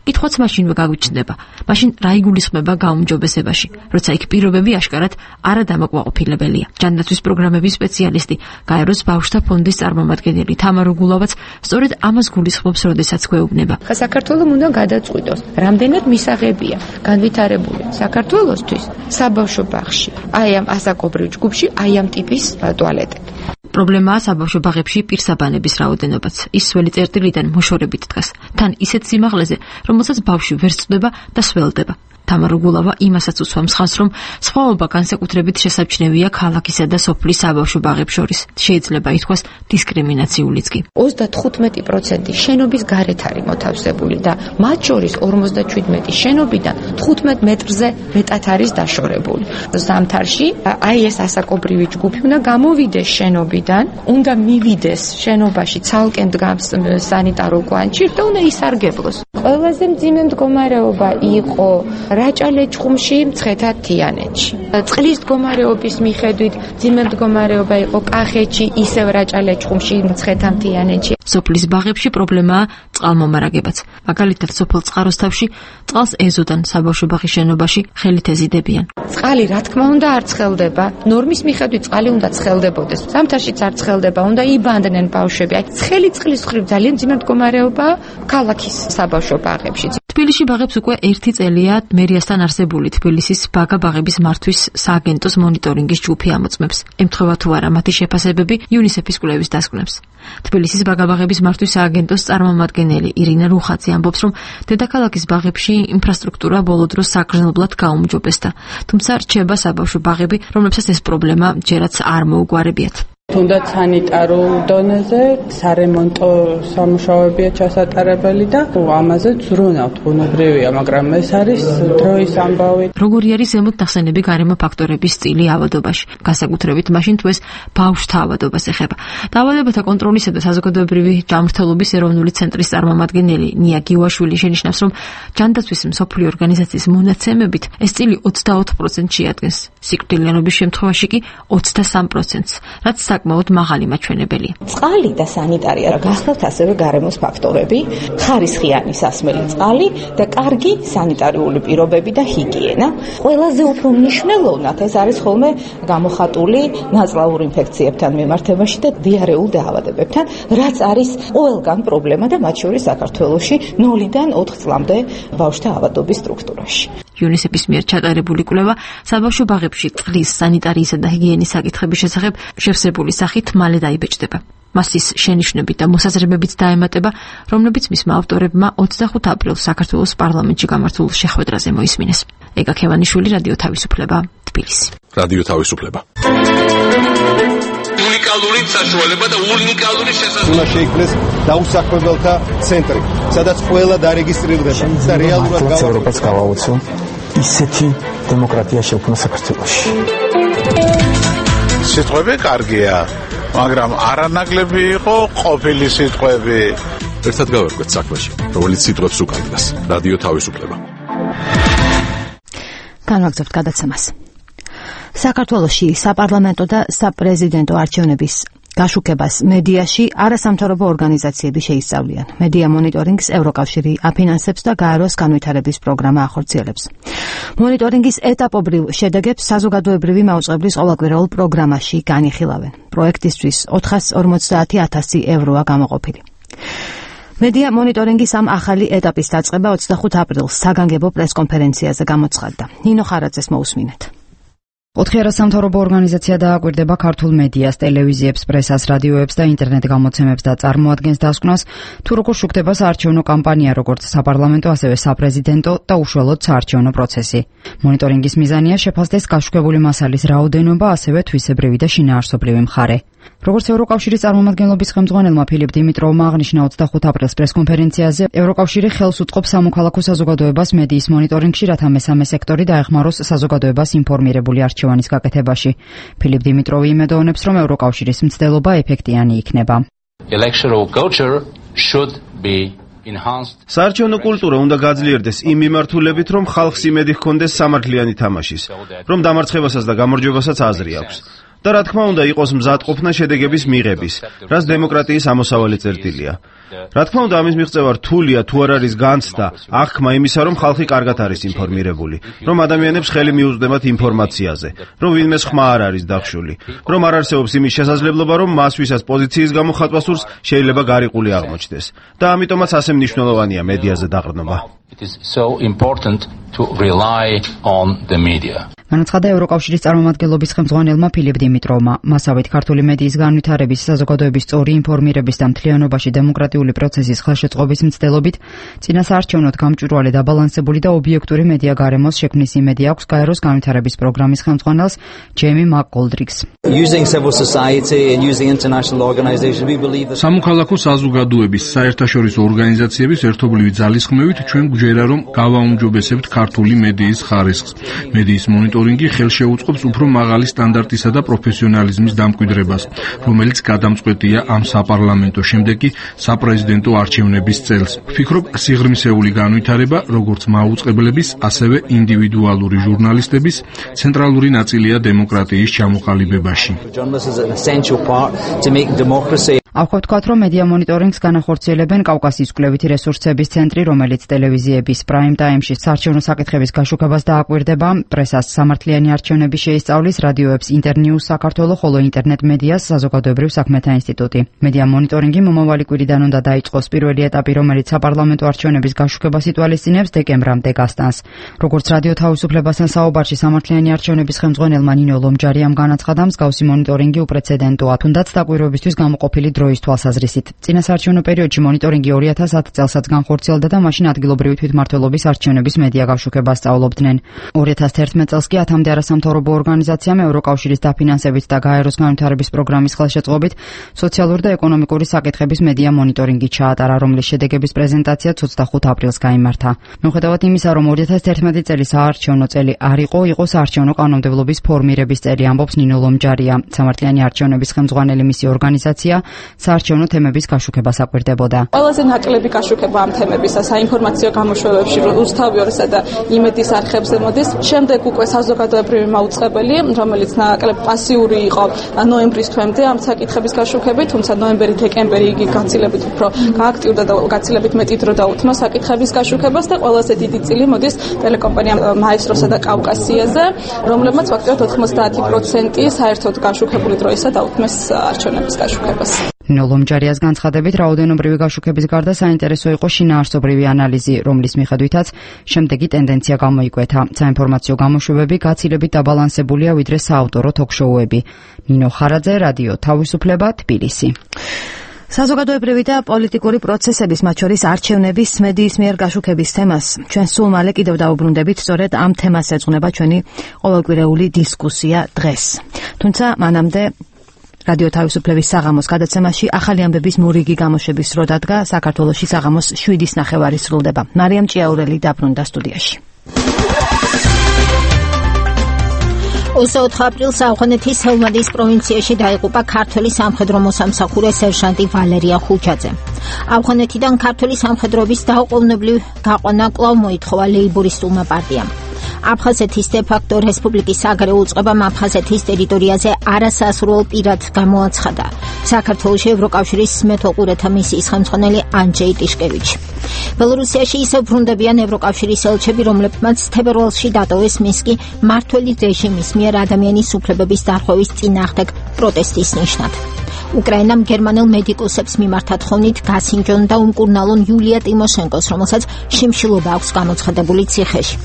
კითხვაც მაშინვე გაგვიჩნდება, მაშინ რა იგულისხმება გაუმჯობესებაში, როცა იქ პირობები აშკარად არადამაკმაყოფილებელია. ჯანდაცვის პროგრამების სპეციალისტი, გაეროს ბავშვთა ფონდის წარმომადგენელი თამარ უგულავაც სწორედ ამას გულისხმობს, როდესაც გვეუბნება. საქართველოს უნდა გადაწყვიტოს, რამდენად მისაღებია განვითარებული საქართველოსთვის საბავშვო ბაღში, აი ამ ასაკობრივ ჯგუფში, აი ამ ტიპის ტუალეტები. პრობლემაა საბავშვო ბაღებში პირსაბანების რაოდენობაც. ის სველი წერტილიდან მოშორებით დგას, თან ისეთ სიმაღლეზე, რომელსაც ბავშვი ვერ წვდება და სველდება. თამარ უგულავა იმასაც უსვამს ხაზს, რომ სხვაობა განსაკუთრებით შესაჩნევია ქალაქისა და სოფლის საბავშვო ბაღებს შორის. შეიძლება ითქვას დისკრიმინაციულიც კი. ოცდათხუთმეტი პროცენტი შენობის გარეთ არის მოთავსებული და მათ შორის ორმოცდაშვიდმეტი შენობიდან თხუთმეტ მეტრზე მეტად არის დაშორებული. ზამთარში აი ეს ასაკობრივი ჯგუფი უნდა გამოვიდეს შენობიდან, უნდა მივიდეს შენობაში ცალკე დგამს სანიტარო კვანჭი და უნდა ისარგებლოს. ყველაზე მძიმე მდგომარეობა იყო რაჭა-ლეჩხუმში, მცხეთა-თიანეთში. წყლის მდგომარეობის მიხედვით მძიმე მდგომარეობა იყო კახეთში, ისევ რაჭა-ლეჩხუმში, მცხეთა-თიანეთში. სოფლის ბაღებში პრობლემაა წყალმომარაგებაც. მაგალითად, სოფელ წყაროსთავში წყალს ეზოდან საბავშვო ბაღის შენობაში ხელით ეზიდებიან. წყალი რა თქმა უნდა არ ცხელდება, ნორმის მიხედვით წყალი უნდა ცხელდებოდეს. ზამთარშიც არ ცხელდება, უნდა იბანდნენ ბავშვები. აი, ცხელი წყლის მხრივ ძალიან მძიმე მდგომარეობაა ქალაქის საბავშვო ბაღებში. თბილისში ბაღებს უკვე ერთი წელია მერიასთან არსებული თბილისის ბაგა ბაღების მართვის სააგენტოს მონიტორინგის ჯგუფი ამოწმებს. ემთხვევა თუ არა მათი შეფასებები იუნისეფის კვლევის დასკვნებს. თბილისის ბაგა ბაღების მართვის სააგენტოს წარმომადგენელი ირინა რუხაძე ამბობს, რომ დედაქალაქის ბაღებში ინფრასტრუქტურა ბოლო დროს საგრძნობლად გაუმჯობესდა. თუმცა რჩება საბავშვო ბაღები, რომლებსაც ეს პრობლემა ჯერაც არ მოუგვარებიათ. თუნდაც სანიტარულ დონეზე სარემონტო სამუშაოებია ჩასატარებელი და ამაზე ზრუნავთ, ბუნებრივია, მაგრამ ეს არის დროის ამბავი. როგორი არის ზემოთ ნახსენები გარემო ფაქტორების წილი ავადობაში, განსაკუთრებით მაშინ თუ ეს ბავშვთა ავადობას ეხება. დაავადებათა კონტროლისა და საზოგადოებრივი ჯანმრთელობის ეროვნული ცენტრის წარმომადგენელი ნია გიუაშვილი შენიშნავს, რომ ჯანდაცვის მსოფლიო ორგანიზაციის მონაცემებით ეს წილი ოცდაოთხ პროცენტს შეადგენს, სიკვდილიანობის შემთხვევაში კი ოცდასამ პროცენტს, რაც საკმაოდ მაღალი მაჩვენებელია. წყალი და სანიტარია გახლავთ ასევე გარემოს ფაქტორები, ხარისხიანი სასმელი წყალი და კარგი სანიტარიული პირობები და ჰიგიენა. ყველაზე უფრო მნიშვნელოვნად ეს არის ხოლმე გამოხატული ნაწლავურ ინფექციებთან მიმართებაში და დიარეულ დაავადებებთან, რაც არის ყველგან პრობლემა და მათ შორის საქართველოში ნულიდან ოთხ წლამდე ბავშვთა ავადობის სტრუქტურაში. იუნისეფის მიერ ჩატარებული კვლევა საბავშვო ბაღებში წყლის, სანიტარიისა და ჰიგიენის საკითხების შესახებ შევსებული სახით მალე დაიბეჭდება. მას ის შენიშვნებით და მოსაზრებებით დაემატება, რომლებიც მისმა ავტორებმა ოცდახუთ აპრილს საქართველოს პარლამენტში გამართულ შეხვედრაზე მოისმინეს. ეგა ქევანიშვილი, რადიო თავისუფლება, თბილისი. რადიო თავისუფლება. უნიკალური საშუალება და უნიკალური შესაძლებლობა. უნდა შეიქმნეს დაუსაქმებელთა ცენტრი, სადაც ყველა დარეგისტრირდება და რეალურად გავა ევროპას გავაუწო ისეთი დემოკრატია შექმნა საქართველოში. სიტყვები კარგია, მაგრამ არანაკლები იყო ყოფილი სიტყვები. ერთად გავერკვეთ საქმეში, რომელიც სიტყვებს უკავშირდება. რადიო თავისუფლება. განვაგრძობთ გადაცემას. საქართველოში საპარლამენტო და საპრეზიდენტო არჩევნების გაშუქებას მედიაში არასამთავრობო ორგანიზაციები შეისწავლიან. მედია მონიტორინგს ევროკავშირი აფინანსებს და გაეროს განვითარების პროგრამა ახორციელებს. მონიტორინგის ეტაპობრივ შედეგებს საზოგადოებრივი მაუწყებლის ყოველკვირეულ პროგრამაში განიხილავენ. პროექტისთვის ოთხას ორმოცდაათი ათასი ევროა გამოყოფილი. მედია მონიტორინგის ამ ახალი ეტაპის დაწყება ოცდახუთ აპრილს საგანგებო პრესკონფერენციაზე გამოცხადდა. ნინო ხარაძეს მოусმინეთ. ოთხი არასამთავრობო ორგანიზაცია დააკვირდება ქართულ მედიას, ტელევიზიებს, პრესას, რადიოებს და ინტერნეტ გამოცემებს და წარმოადგენს დასკვნას, თუ როგორ შუქდება საარჩევნო კამპანია, როგორც საპარლამენტო, ასევე საპრეზიდენტო და უშუალოდ საარჩევნო პროცესი. მონიტორინგის მიზანია შეფასდეს გაშუქებული მასალის რაოდენობა, ასევე თვისებრივი და შინაარსობრივი მხარე. როგორც ევროკავშირის წარმომადგენლობის ხელმძღვანელმა ფილიპ დიმიტროვმა აღნიშნა ოცდახუთ აპრილს პრესკონფერენციაზე, ევროკავშირი ხელს უწყობს სამოქალაქო საზოგადოებას მედიის მონიტორინგში, რათა მესამე სექტორი დაეხმაროს საზოგადოებას ინფორმირებული არჩევანის გაკეთებაში. ფილიპ დიმიტროვი იმედოვნებს, რომ ევროკავშირის მცდელობა ეფექტიანი იქნება. Electoral culture should be საარჩევნო კულტურა უნდა გაძლიერდეს იმ მიმართულებით, რომ ხალხს იმედი ჰქონდეს სამართლიანი თამაშის, რომ დამარცხებასაც და გამარჯვებასაც აზრი აქვს. და რა თქმა უნდა იყოს მზადყოფნა შედეგების მიღების, რაც დემოკრატიის ამოსავალი წერტილია. რა თქმა უნდა ამის მიღწევა რთულია თუ არ არის განცდა, აღქმა იმისა, რომ ხალხი კარგად არის ინფორმირებული, რომ ადამიანებს ხელი მიუწვდებათ ინფორმაციაზე, რომ ვინმე ხმა არ არის დახშული, რომ არ არსებობს იმის შესაძლებლობა, რომ მას ვისაც პოზიციის გამო ხატვა სურს, შეიძლება გარიყული აღმოჩნდეს. და ამიტომაც ასე მნიშვნელოვანია მედიაზე დაყრდნობა. It is so important to rely on the media. განაცხადა ევროკავშირის წარმომადგენლობის ხელმძღვანელმა ფილიპ დიმიტროვმა. მასავით ქართული მედიის განვითარების, საზოგადოების სწორი ინფორმირების და მთლიანობაში დემოკრატიული პროცესის ხელშეწყობის მცდელობით წინა საარჩევნოდ გამჭვირვალე დაბალანსებული და ობიექტური მედია გარემოს შექმნის იმედი აქვს გაეროს განვითარების პროგრამის ხელმძღვანელს ჯეიმი მაკ-კოლდრიგს. სამოქალაქო საზოგადოების, საერთაშორისო ორგანიზაციების ერთობლივი ძალისხმევით ჩვენ გვჯერა, რომ გავაუმჯობესებთ ქართული მედიის ხარისხს. მედიის მონიტორინგი ხელშეუწყობს უფრო მაღალი სტანდარტისა და პროფესიონალიზმის დამკვიდრებას, რომელიც გადამწყვეტია ამ საპარლამენტო შემდეგ კი საპრეზიდენტო არჩევნების წელს. ვფიქრობ, სიღრმისეული განვითარება, როგორც მაუწყებლების, ასევე ინდივიდუალური ჟურნალისტების ცენტრალური ნაწილია დემოკრატიის ჩამოყალიბებაში. აქვე ვთქვათ, რომ მედია მონიტორინგს განახორციელებენ კავკასიის კვლევითი რესურსების ცენტრი, რომელიც ტელევიზიების პრაიმ ტაიმში საარჩევნო საკითხების გაშუქებას დააკვირდება, პრესას სამართლიანი არჩევნები შეისწავლის, რადიოებს ინტერნიუს საქართველო, ხოლო ინტერნეტ მედიას საზოგადოებრივ საქმეთა ინსტიტუტი. მედია მონიტორინგი მომავალი კვირიდან უნდა დაიწყოს. პირველი ეტაპი, რომელიც საპარლამენტო არჩევნების გაშუქებას ითვალისწინებს, დეკემბრამდე გასტანს. როგორც რადიო თავისუფლებასთან საუბარში სამართლიანი არჩევნების ხელმძღვანელმა ნინო ლომჯარიამ განაცხადა, მსგავსი მონიტორინგი უპრეცედენტოა, თუნდაც დაკვირვებისთვის გამოყოფილი დროის თვალსაზრისით. წინა საარჩევნო პერიოდში მონიტორინგი ორი ათას ათი წელსაც განხორციელდა და მაშინ ადგილობრივი თვითმმართველობის არჩევნების მედია გაშუქებას სწავლობდნენ. ორი ათას თერთმეტ წელს კი ათამდე არასამთავრობო ორგანიზაციამ ევროკავშირის დაფინანსებით და გაეროს განვითარების პროგრამის ხელშეწყობით სოციალური და ეკონომიკური საკითხების მედია მონიტორინგი ჩაატარა, რომლის შედეგების პრეზენტაციაც ოცდახუთ აპრილს გაიმართა. მიუხედავად იმისა, რომ ორი ათას თერთმეტი წელი საარჩევნო წელი არ იყო, იყო საარჩევნო კანონმდებლობის ფორმირების წელი, ამბობს ნინო ლომჯარია. სამართლიანი არჩევნების ხელმძღვანელი მისი ორგანიზაცია საარჩევნო თემების გაშუქებას აკვირდებოდა. ყველაზე ნაკლები გაშუქება ამ თემებისა საინფორმაციო გამოშვებებში რუსთავიორსა და იმედის არხებზე მოდის. შემდეგ უკვე საზოგადოებრივი მაუწყებელი, რომელიც ნაკლებ პასიური იყო ნოემბრის თვემდე ამ საკითხების გაშუქებით, თუმცა ნოემბერი-დეკემბერი იგი გაცილებით უფრო გააქტიურდა და გაცილებით მეტი დრო დაუთმო საკითხების გაშუქებას და ყველაზე დიდი წილი მოდის ტელეკომპანია მაესტროსა და კავკასიაზე, რომლებმაც ფაქტობრივად ოთხმოცდაათი პროცენტი საერთოდ გაშუქებული დროისა დაუთმეს არჩევნების გაშუქებას. ნინო ლომჯარიას განცხადებით, რაოდენობრივი გაშუქების გარდა საინტერესო იყო შინაარსობრივი ანალიზი, რომლის მიხედვითაც შემდეგი ტენდენცია გამოიკვეთა. საინფორმაციო გამოშვებები გაცილებით დაბალანსებულია ვიდრე საავტორო თოქ-შოუები. ნინო ხარაძე, რადიო თავისუფლება, თბილისი. საზოგადოებრივი და პოლიტიკური პროცესების, მათ შორის არჩევნების მედიის მიერ გაშუქების თემას ჩვენ სულ მალე კიდევ დავუბრუნდებით, სწორედ ამ თემას ეძღვნება ჩვენი ყოველკვირეული დისკუსია დღეს. თუმცა მანამდე რადიო თავისუფლების საღამოს გადაცემაში ახალი ამბების მორიგი გამოშვების დრო დადგა. საქართველოში საღამოს შვიდის ნახევარი სრულდება. მარიამ ჭიაურელი დაბრუნდა სტუდიაში. ოცდაოთხ აპრილს ავღანეთის ჰელმანდის პროვინციაში დაიღუპა ქართველი სამხედრო მოსამსახურე სერჟანტი ვალერია ხუჩაძე. ავღანეთიდან ქართული სამხედროების დაუყოვნებლივ გაყვანა კვლავ მოითხოვა ლეიბორისტულმა პარტიამ. აფხაზეთის დე-ფაქტო რესპუბლიკის საგარეო უწყებამ აფხაზეთის ტერიტორიაზე არასასურველ პირად გამოაცხადა საქართველოს ევროკავშირის მეთვალყურეთა მისიის ხელმძღვანელი ანჯეი ტიშკევიჩი. ბელორუსიაში ისევ ბრუნდებიან ევროკავშირის ელჩები, რომლებმაც თებერვალში დატოვეს მისკი მმართველი რეჟიმის მიერ ადამიანის უფლებების დარღვევის წინააღმდეგ პროტესტის ნიშნად. უკრაინამ გერმანელ მედიკოსებს მიმართა თხოვნით გასინჯონ და უმკურნალონ იულია ტიმოშენკოს, რომელსაც შიმშილობა აქვს გამოცხადებული ციხეში.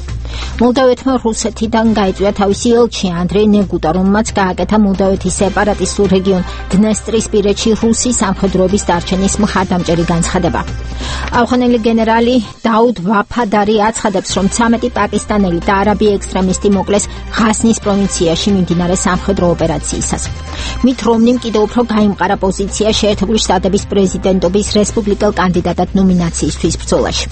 მოლდავეთმა რუსეთიდან გაიწვია თავისი ელჩი ანდრეი ნეგუტა, რომელმაც გააკეთა მოლდავეთის სეპარატისტულ რეგიონ დნესტრისპირეთში რუსი სამხედროების დარჩენის მხარდამჭერი განცხადება. ავღანელი გენერალი დაუდ ვაფადარი აცხადებს, რომ ცამეტი პაკისტანელი და არაბი ექსტრემისტი მოკლეს ღაზნის პროვინციაში მიმდინარე სამხედრო ოპერაციისას. მით რომნიმ კიდევ უფრო გაიმყარა პოზიცია შეერთებული შტატების პრეზიდენტობის რესპუბლიკელ კანდიდატად ნომინაციისთვის ბრძოლაში.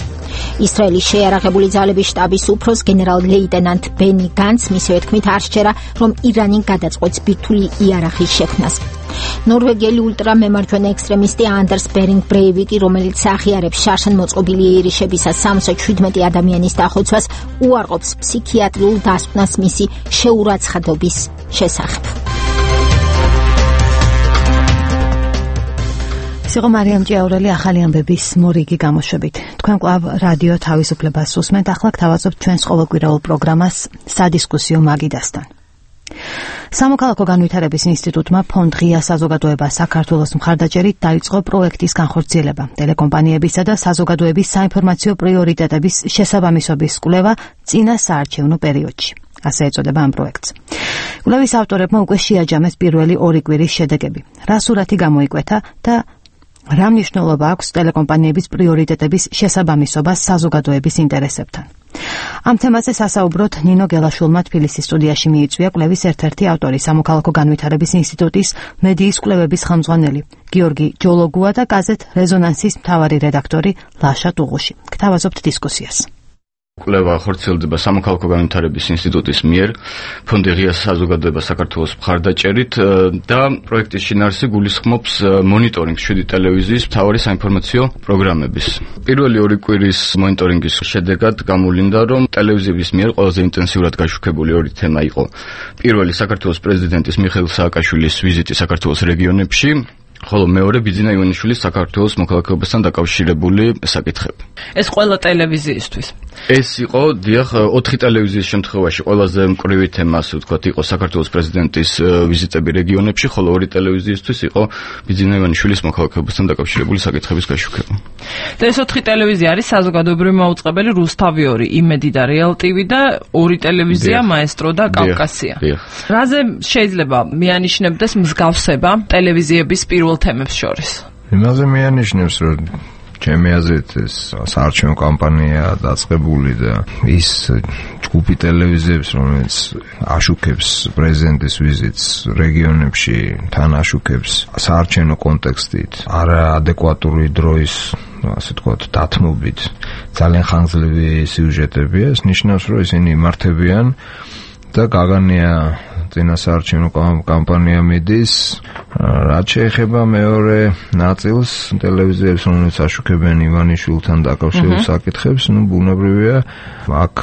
ისრაელის შეიარაღებული ძალების შტაბის უფროს გენერალ-ლეიტენანტ ბენი განც მისივე თქმით არ სჯერა, რომ ირანი გადაწყვეტს ბირთვული იარაღის შექმნას. ნორვეგიელი ულტრამემარჯვენე ექსტრემისტი ანდერს ბერინგ ბრეივიკი, რომელიც აღიარებს შარშან მოწყობილი იერიშებისას სამოცდაშვიდ ადამიანის დახოცვას, უარყოფს ფსიქიატრიულ დასკვნას მისი შეურაცხყოფის შესახებ. სიღო მარიამ ჭიაურელი ახალი ამბების მორიგი გამოშვებით. თქვენ კვლავ რადიო თავისუფლებას უსმენთ. ახლა გთავაზობთ ჩვენს ყოველკვირეულ პროგრამას სადისკუსიო მაგიდასთან. სამოქალაქო განვითარების ინსტიტუტმა ფონდ ღია საზოგადოება საქართველოს მხარდაჭერით დაიწყო პროექტის განხორციელება. ტელეკომპანიებისა და საზოგადოების საინფორმაციო პრიორიტეტების შესაბამისობის კვლევა წინა საარჩევნო პერიოდში. ასე ეწოდება ამ პროექტს. კვლევის ავტორებმა უკვე შეაჯამეს პირველი ორი კვირის შედეგები. რა სურათი გამოიკვეთა და რა მნიშვნელობა აქვს ტელეკომპანიების პრიორიტეტების შესაბამისობას საზოგადოების ინტერესებთან. ამ თემაზე სასაუბროთ ნინო გელაშვილმა თბილისის სტუდიაში მიიწვია კვლევის ერთ-ერთი ავტორი, სამოქალაქო განვითარების ინსტიტუტის მედიის კვლევების ხელმძღვანელი გიორგი ჯოლოგუა და გაზეთ რეზონანსის მთავარი რედაქტორი ლაშა ტუღუში. გთავაზობთ დისკუსიას. კვლევა ხორციელდება სამოქალაქო განვითარების ინსტიტუტის მიერ ფონდი ღია საზოგადოება საქართველოს მხარდაჭერით და პროექტის შინაარსი გულისხმობს მონიტორინგს შვიდი ტელევიზიის მთავარი საინფორმაციო პროგრამების. პირველი ორი კვირის მონიტორინგის შედეგად გამოვლინდა, რომ ტელევიზიების მიერ ყველაზე ინტენსიურად გაშუქებული ორი თემა იყო. პირველი საქართველოს პრეზიდენტის მიხეილ სააკაშვილის ვიზიტი საქართველოს რეგიონებში, ხოლო მეორე ბიძინა ივანიშვილის საქართველოს მოქალაქეობასთან დაკავშირებული საკითხები. ეს ყველა ტელევიზიისთვის. ეს იყო დიახ ოთხი ტელევიზიის შემთხვევაში ყველაზე მკვრივი თემა, ასე ვთქვათ, იყო საქართველოს პრეზიდენტის ვიზიტები რეგიონებში, ხოლო ორი ტელევიზიისთვის იყო ბიძინა ივანიშვილის მოქალაქეობასთან დაკავშირებული საკითხების გაშუქება. და ეს ოთხი ტელევიზია არის საზოგადოებრივი მაუწყებელი რუსთავი ორი, იმედი და რეალ ტივი და ორი ტელევიზია მაესტრო და კავკასია. რაზე შეიძლება მიანიშნებდეს მსგავსება ტელევიზიების პირველ თემებს შორის? იმაზე მიანიშნებს, რომ ჩემი აზრით ეს საარჩევნო კამპანია დაწყებული და ის ჯგუფი ტელევიზიებს, რომელიც აშუქებს პრეზიდენტის ვიზიტს რეგიონებში, თან აშუქებს საარჩევნო კონტექსტით, არაადეკვატური დროის, ასე ვთქვათ, დათმობით ძალიან ხანგრძლივი სიუჟეტებია. ეს ნიშნავს, რომ ისინი იმართებიან და გაგანია წინა საარჩევნო კამპანია მიდის. რაც შეეხება მეორე ნაწილს, ტელევიზიებს, რომელიც აშუქებენ ივანიშვილთან დაკავშირებულ საკითხებს, ну, ბუნებრივია, აქ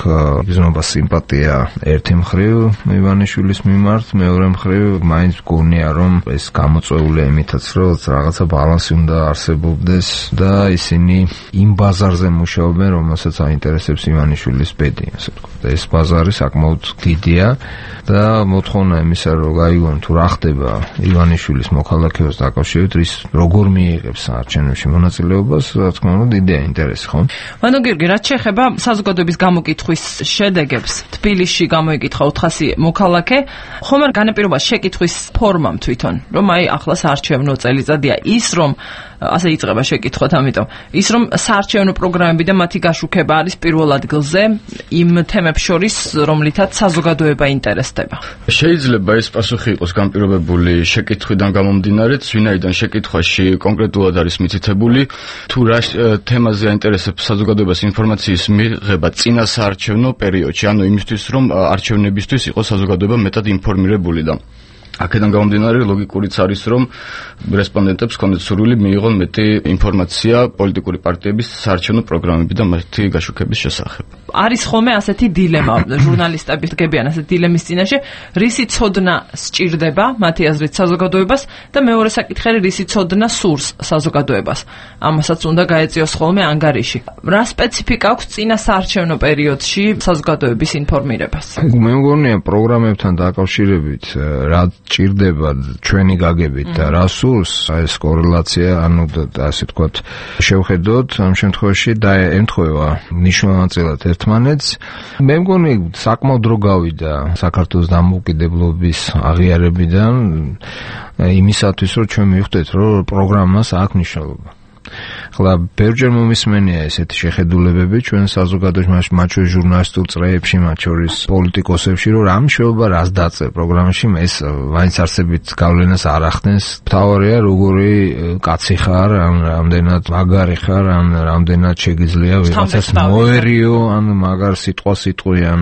იგრძნობა სიმპათია ერთი მხრივ ივანიშვილის მიმართ, მეორე მხრივ მაინც გონია, რომ ეს გამოწვეულია იმითაც, რომ რაღაცა ბალანსი უნდა არსებობდეს და ისინი იმ ბაზარზე მუშაობენ, რომელსაც აინტერესებს ივანიშვილის ბედი, ასე ვთქვათ. ეს ბაზარი საკმაოდ დიდია და მოთხოვნა თვითონა იმისა რომ გაიგონ თუ რა ხდება ივანიშვილის მოქალაქეობის დაკავშირებით რის როგორ მიიღებს არჩევნებში მონაწილეობას რა თქმა უნდა დიდია ინტერესი ხო? მანო გიორგი რაც შეეხება საზოგადოების გამოკითხვის შედეგებს თბილისში გამოიკითხა ოთხასი მოქალაქე ხომ არ განაპირობა შეკითხვის ფორმამ თვითონ რომ აი ახლა საარჩევნო წელიწადია ის რომ ასე იწყება შეკითხვათ ამიტომ ის რომ საარჩევნო პროგრამები და მათი გაშუქება არის პირველ ადგილზე იმ თემებს შორის რომლითაც საზოგადოება ინტერესდება შეიძლება ეს პასუხი იყოს განპირობებული შეკითხვიდან გამომდინარე ვინაიდან შეკითხვაში კონკრეტულად არის მითითებული თუ რა თემაზე აინტერესებს საზოგადოებას ინფორმაციის მიღება წინა საარჩევნო პერიოდში ანუ იმისთვის რომ არჩევნებისთვის იყოს საზოგადოება მეტად ინფორმირებული და აქედან გამომდინარე ლოგიკურიც არის რომ რესპონდენტებს კონდეთ სურვილი მიიღონ მეტი ინფორმაცია პოლიტიკური პარტიების საარჩევნო პროგრამები და მათი გაშუქების შესახებ. არის ხოლმე ასეთი დილემა ჟურნალისტები დგებიან ასეთი დილემის წინაშე რისი ცოდნა სჭირდება მათი აზრით საზოგადოებას და მეორე საკითხი რისი ცოდნა სურს საზოგადოებას. ამასაც უნდა გაეწიოს ხოლმე ანგარიში. რა სპეციფიკა აქვს წინა საარჩევნო პერიოდში საზოგადოების ინფორმირებას? მე მგონია პროგრამებთან დაკავშირებით რა ჭირდება ჩვენი გაგებით და რა სურს ეს კორელაცია ანუ ასე ვთქვათ შევხედოთ ამ შემთხვევაში და ემთხვევა მნიშვნელოვნად ერთმანეთს მე მგონი საკმაოდ დრო გავიდა საქართველოს დამოუკიდებლობის აღიარებიდან იმისათვის რომ ჩვენ მივხვდეთ რომ პროგრამას აქვს მნიშვნელობა ხლა ბევრჯერ მომისმენია ესეთი შეხედულებები ჩვენ საზოგადოებაში მათ შორის ჟურნალისტურ წრეებში მათ შორის პოლიტიკოსებში რომ რა მნიშვნელობა რას დაწერ პროგრამაში ეს მაინც არსებით გავლენას არ ახდენს მთავარია როგორი კაცი ხარ ან რამდენად მაგარი ხარ ან რამდენად შეგიძლია ვიღაცას მოერიო ან მაგარ სიტყვა სიტყვი ან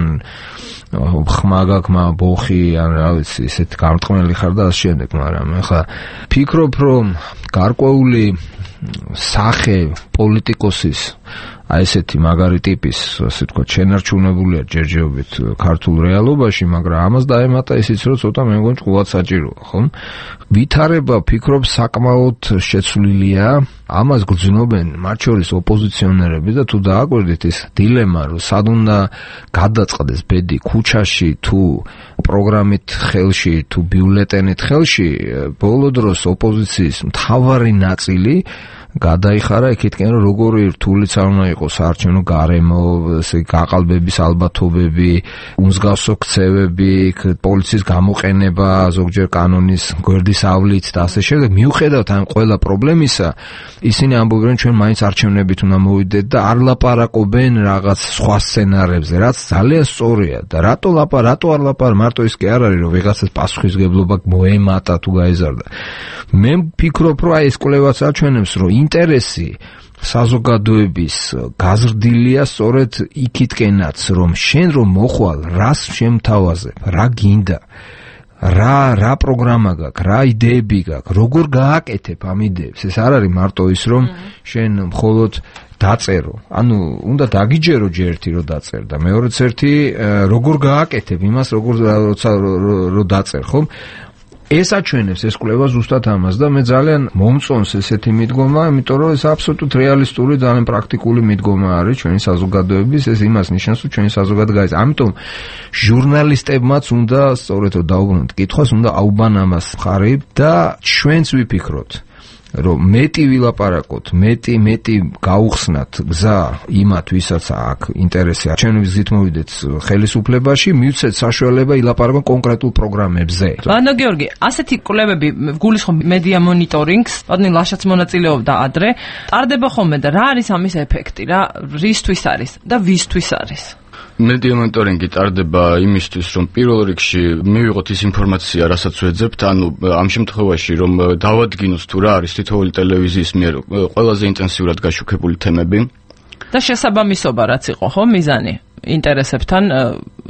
ხმაგაკმა ბოხი ან რა ვიცი ესეთ გამტყმელი ხარ და ასე შემდეგ მაგრამ ახლა ფიქრობ რომ გარკვეული სახე პოლიტიკოსის აი ესეთი მაგარი ტიპის ასე ვთქვათ შენარჩუნებულია ჯერჯერობით ქართულ რეალობაში მაგრამ ამას დაემატა ისიც რომ ცოტა მე მგონი ჭკუად საჭიროა ხო ვითარება ფიქრობ საკმაოდ შეცვლილია ამას გრძნობენ მათ შორის ოპოზიციონერები და თუ დააკვირდით ეს დილემა რომ სად უნდა გადაწყდეს ბედი ქუჩაში თუ პროგრამით ხელში თუ ბიულეტენით ხელში ბოლო დროს ოპოზიციის მთავარი ნაწილი გადაიხარა იქითკენ რომ როგორი რთულიც არ უნდა იყოს საარჩევნო გარემო, ესე გაყალბების ალბათობები, უმსგავსო ქცევები, პოლიციის გამოყენება, ზოგჯერ კანონის გვერდის ავლით და ასე შემდეგ. მიუხედავად ამ ყველა პრობლემისა, ისინი ამბობენ ჩვენ მაინც არჩევნებით უნდა მოვიდეთ და არ ლაპარაკობენ რაღაც სხვა სცენარებზე, რაც ძალიან სწორია და რატო ლაპარ, რატო არ ლაპარ, მარტო ის კი არ არის რომ ვიღაცას პასუხისგებლობა მოემატა თუ გაეზარდა. მე ვფიქრობ რომ აი ეს კვლევაც აჩვენებს რომ ინტერესი საზოგადოების გაზრდილია სწორედ იქითკენაც რომ შენ რომ მოხვალ რას შემთავაზებ რა გინდა რა რა პროგრამა გაქვს რა იდეები გაქვს როგორ გააკეთებ ამ იდეებს ეს არ არის მარტო ის რომ შენ მხოლოდ დაწერო ანუ უნდა დაგიჯერო ჯერ ერთი რომ დაწერ და მეორეც ერთი როგორ გააკეთებ იმას როგორ როცა რომ დაწერ ხომ ეს აჩვენებს ეს კვლევა ზუსტად ამას და მე ძალიან მომწონს ესეთი მიდგომა, იმიტომ რომ ეს აბსოლუტურად რეალისტური, ძალიან პრაქტიკული მიდგომა არის ჩვენი საზოგადოების, ეს იმას ნიშნავს, რომ ჩვენი საზოგადოება გაიზარდა. ამიტომ ჟურნალისტებმაც უნდა სწორედ დაუბრუნოთ კითხვას, უნდა აუბან ამას მხარი და ჩვენც ვიფიქროთ რომ მეტი ვილაპარაკოთ, მეტი მეტი გაუხსნათ გზა იმათ, ვისაც აქვს ინტერესი არჩევნების გზით მოვიდეთ ხელისუფლებაში, მივცეთ საშუალება ილაპარაკონ კონკრეტულ პროგრამებზე. ლანო გიორგი, ასეთი კვლევები გულისხმობ მედია მონიტორინგს, პატონი ლაშაც მონაწილეობდა ადრე, ტარდება ხოლმე და რა არის ამის ეფექტი, რა რისთვის არის და ვისთვის არის? მედია მონიტორინგი ტარდება იმისთვის, რომ პირველ რიგში მივიღოთ ის ინფორმაცია, რასაც ვეძებთ, ანუ ამ შემთხვევაში, რომ დავადგინოთ თუ რა არის თითოეული ტელევიზიის მიერ ყველაზე ინტენსიურად გაშუქებული თემები და შესაბამისობა რაც იყო, ხო, მიზანი ინტერესებთან